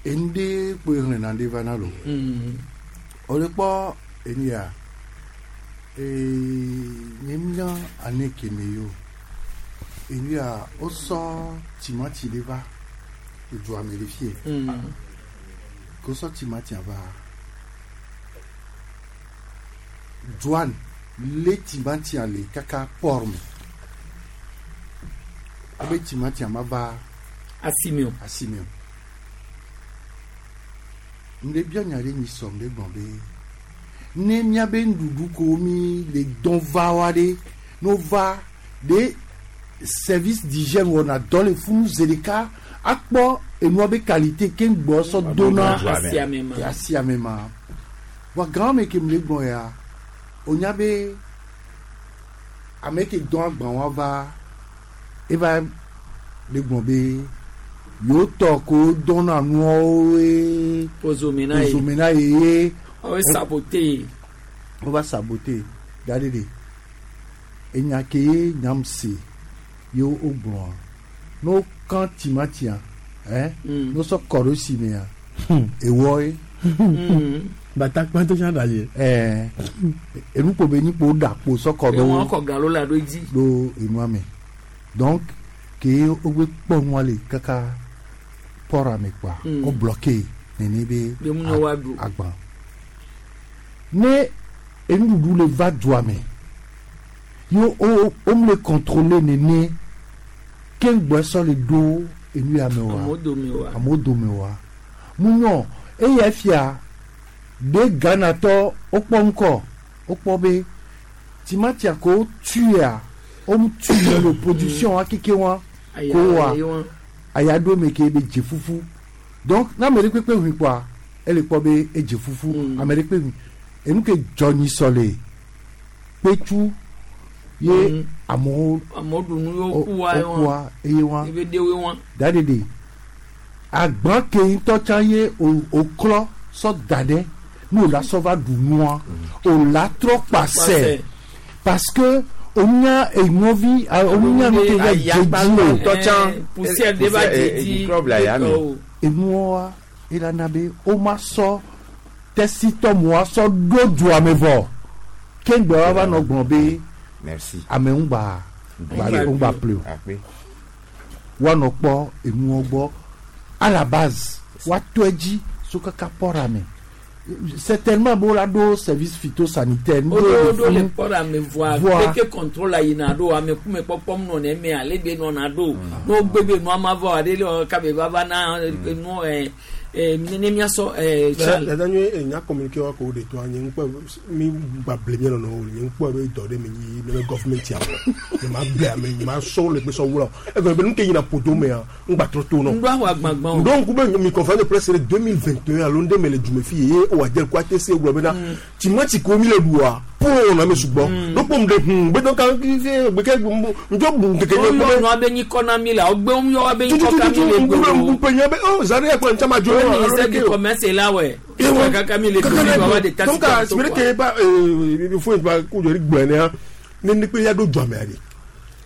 [SPEAKER 9] enu ɖe kpoe xlẽna ɖe va na lo. O le kpɔ enu ya nye nya ane keme yo enu ya wosɔ timati ɖe va edua me le fie. Ko sɔ timatia va douane le timatia le kaka port me. Abe timatia ma va
[SPEAKER 3] asime o.
[SPEAKER 9] Asime o. Ŋɖe bia nya ɖe nyi sɔm ɖe gblɔ be ne miabe nuɖuɖu ko mi le dɔn va wa ɖe no va ɖe service d'hygiène wɔna dɔ le funu zi ɖeka akpɔ enua be qualité ke ŋgbɔ sɔ dona
[SPEAKER 3] Asiame ma.
[SPEAKER 9] asiame ma wa gã me ke mi le gblɔ ya o nya be ame ke dɔn agban wa va Eva le gblɔ be yewo tɔ ko dɔna nuawo ye.
[SPEAKER 3] Ozome na ye.
[SPEAKER 9] Ozome na ye ye.
[SPEAKER 3] Wo sabote.
[SPEAKER 9] Wova sabote da ɖe ɖe. Enya ke ye nyam se ye wogblɔa ne wokan timatia ne wosɔ kɔ ɖo si mea ewɔ ye.
[SPEAKER 23] Batakpa tó sàn dàjẹ́.
[SPEAKER 9] Ɛɛ enukpo be nyikpo ɖa kpo sɔ kɔ ɖo.
[SPEAKER 3] Ewɔn kɔ galo la ɖo edzi.
[SPEAKER 9] Ɖo enua me donc ke wogbe kpɔ nua le kaka pɔra me kpoa wo bloqué nene be agban ne enuɖuɖu le va dua me ye wo wo le contrôler nene keŋgbɔ sɔ le ɖo enu ya me wa amewo dome wa mu nyɔ eya fia ɖe Ghanatɔ wokpɔ ŋkɔ wokpɔ be timatia ko tuya wo tu le production wa keke wa ko wa aya ɖo me ke be dze fufu donc ne ame ɖe kpekpe hui kpoa ele kpɔ be edze fufu ame ɖe kpe hui enu ke dzɔ nyi sɔ le kpetsu ye amewo
[SPEAKER 3] amewo ɖu nu yewo kua
[SPEAKER 9] wokua eye wa
[SPEAKER 3] ebe ɖewoe wa
[SPEAKER 9] da ɖeɖe agban ke ŋutɔ tsã ye o klɔ sɔ da ɖe ne o la sɔ va ɖu nua o la trɔ kpasɛ parce que onya eŋɔvi onya nu ke va dzedzi o
[SPEAKER 3] poussière de va dzedzi
[SPEAKER 9] enuwoa elana be o ma sɔ tɛsitɔ mua sɔ ɖo dua me vɔ keŋgbɛ wa va nɔ gblɔ be ame ŋgba ŋgba ple o woanɔ kpɔ enuwo gbɔ à la base woatɔ edzi so kaka pɔra me certainement bo la ɖo service phytosanitaire.
[SPEAKER 3] O ɖo le pɔra me voa keke contrôle yina ɖo ame kume kpɔkpɔm nɔ ne me ale be nɔna ɖo n'o gbe be nua ma vɔ ale le kabe va va na nu ne miasɔ Charles.
[SPEAKER 1] Dada nyuie nya communiqué wa ko de to nye ŋkpɔ mi gba ble mi nɔnɔ o nye ŋkpɔ be dɔ ɖe mi yi ne be government ya wɔ nye ma ble ame nye ma sɔ le gbe sɔ wula egɔme be nu ke yina ƒodo mea ŋgba trɔ to nɔ.
[SPEAKER 3] Ŋɖo awɔ agbagbã o.
[SPEAKER 1] Ŋɖo ŋku be mi conférence de presse le 2021 alo ŋɖe me le dume fi ye o adze ko ate se gblɔ bena timati ko mi le ɖua po na me sugbɔ ɖokpo ŋɖe hun gbe dɔn kan gbeke ŋdzɔ bu keke
[SPEAKER 3] nye. Wo yɔ nua be nyikɔ na mi la wo gbe wo yɔ be nyikɔ ka mi le
[SPEAKER 1] gbe o. Ŋku pe nye be o zari ekplɔ ŋtsama dzo.
[SPEAKER 3] O ministère du commerce la wɛ. Kaka mi le gbe wa de tasi.
[SPEAKER 1] Donc sibiri ke ba fo ba ko jori gblɔ nea ne ne pe ya ɖo dzɔmea de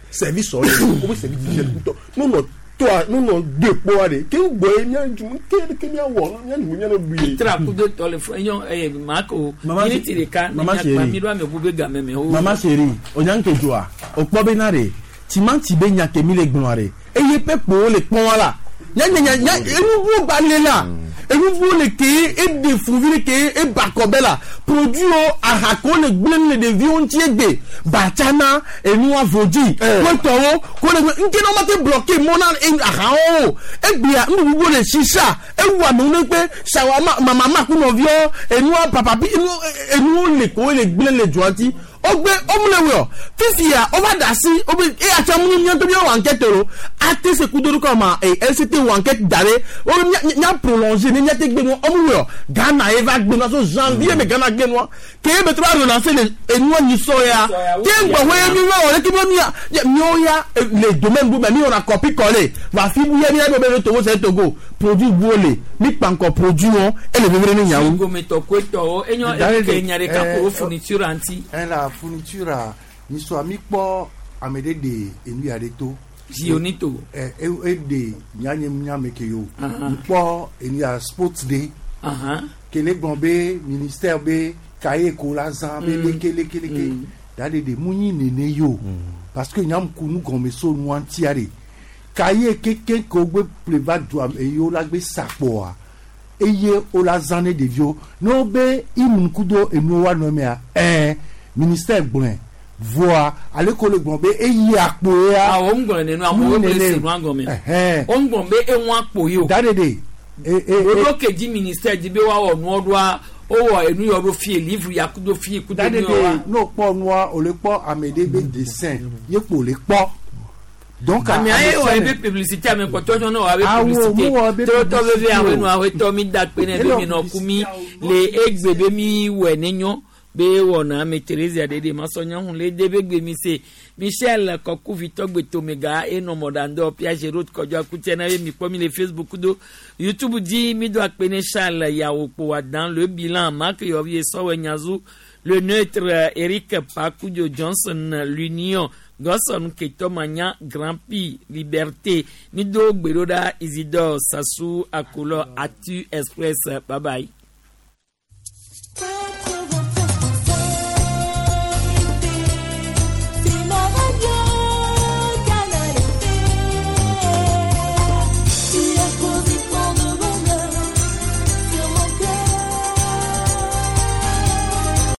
[SPEAKER 1] service sɔ le o be service d'hygiène ŋutɔ nunɔ toa nunɔ de kpɔa de ke gbɔ ye mía dzu ke ke mía wɔ mía nu mía nɔ ɖu ye.
[SPEAKER 3] Tra kudo tɔ le fɔ enyɔ eye mako miniti ɖeka ne miakpa mi ɖo ame bu be game me o.
[SPEAKER 23] Mama chérie onyanke dzoa o kpɔ bena de timati be nya ke mi le gblɔa de eye ƒe kpowo le kpɔm wa la nya nya nya enuvuwo gba le la enuvuwo le ke eɖe fuvi le ke eba kɔbɛ la produit wo aha ko le gblẽ le ɖeviwo ŋuti egbe batsana enua vodzi kpetɔwo ko le ŋke na wo ma te bloqué mɔ na ahawo egbea nuɖuɖu le sisa ewu amewo ne kpe shawarma mama ku nɔviwo enua papapi enuwo le ko le gblẽ le dua ŋuti wogbe womle wɔ fifia wova da asi wobe eya tsa mu mía ŋutɔ míawɔ enquête lo ate se kudo ɖo kama e LCT wɔ enquête da ɖe wobe mía mía prolonger ne míate gbe nua womle wɔ Ghana ye va gbe nua so janvier me Ghana gbe nua ke ye be trɔ va relancer le enua nyisɔ ya ke ŋgbɔ ye mi wɔ leke be mía míawo ya le domaine bu me mi wɔna copie coller va fi bu ya mía be be Togo c'est Togo produit bu le mi kpankɔ produit wɔn ele vevie ne nyawo.
[SPEAKER 3] Gometɔ koetɔwo enyo eke nya ɖeka ko fourniture ŋuti.
[SPEAKER 9] La fourniture a nyisɔ mi kpɔ ame ɖe ɖe enu ya ɖe to.
[SPEAKER 3] Zionito.
[SPEAKER 9] Ɛ e ɖe nyanye nyame ke yo. Mi kpɔ enu ya sports day. Kele gblɔ be ministère be cahier ko la zã be leke leke leke da ɖe ɖe mu nyi nene yo parce que nyam ku nu gɔme so nua ŋutia ɖe cahier keke ke wogbe ƒle va dua eye wo la gbe sakpɔa eye wo la zã ne ɖeviwo ne wo be imu kudo enuwo wa nɔ mea ɛɛ ministère gblɔe voa ale ko le gblɔ be eyi akpo ya.
[SPEAKER 3] Awɔ ń gblɔ nenu amewo bɛ se nua gɔme. O ń gblɔ be eŋu akpo yi o.
[SPEAKER 9] Da ɖe ɖe.
[SPEAKER 3] Ɖoɖo ke dzi ministère dzi be woawɔ nuɔ ɖoa wowɔ enu yɔ ɖo fie livre ya kudo fie kudo
[SPEAKER 9] nu yɔ wa. N'o kpɔ nua o le kpɔ ame ɖe be dessin ye kpo le kpɔ. Donc
[SPEAKER 3] ame aye wɔ ebe publicité ame kpɔtɔ tsɔ ne wɔ abe publicité tɔtɔ veve awo nu awo tɔ mi da kpe ne be mi nɔ ku mi le egbe be mi wɔ ne nyɔ. Be wɔna ame Theresia ɖeɖe masɔnyahu le de be gbe mi se Michel Kɔkuvitɔ gbetomega enɔ mɔɖaŋdɔ Piaget Road Kɔdzɔ Akutia na ye mi kpɔ mi le Facebook do YouTube dzi mi do akpe ne Charles Yawo Kpowadan le bilan Marc Yɔvi Sɔwɛ Nyazu le neutre Eric Pakudio Johnson l'Union Gɔsɔn Ketɔmanya Grand Prix Liberté mi do gbeɖoɖa Isidore Sassou Akolɔ Atu Express bye bye.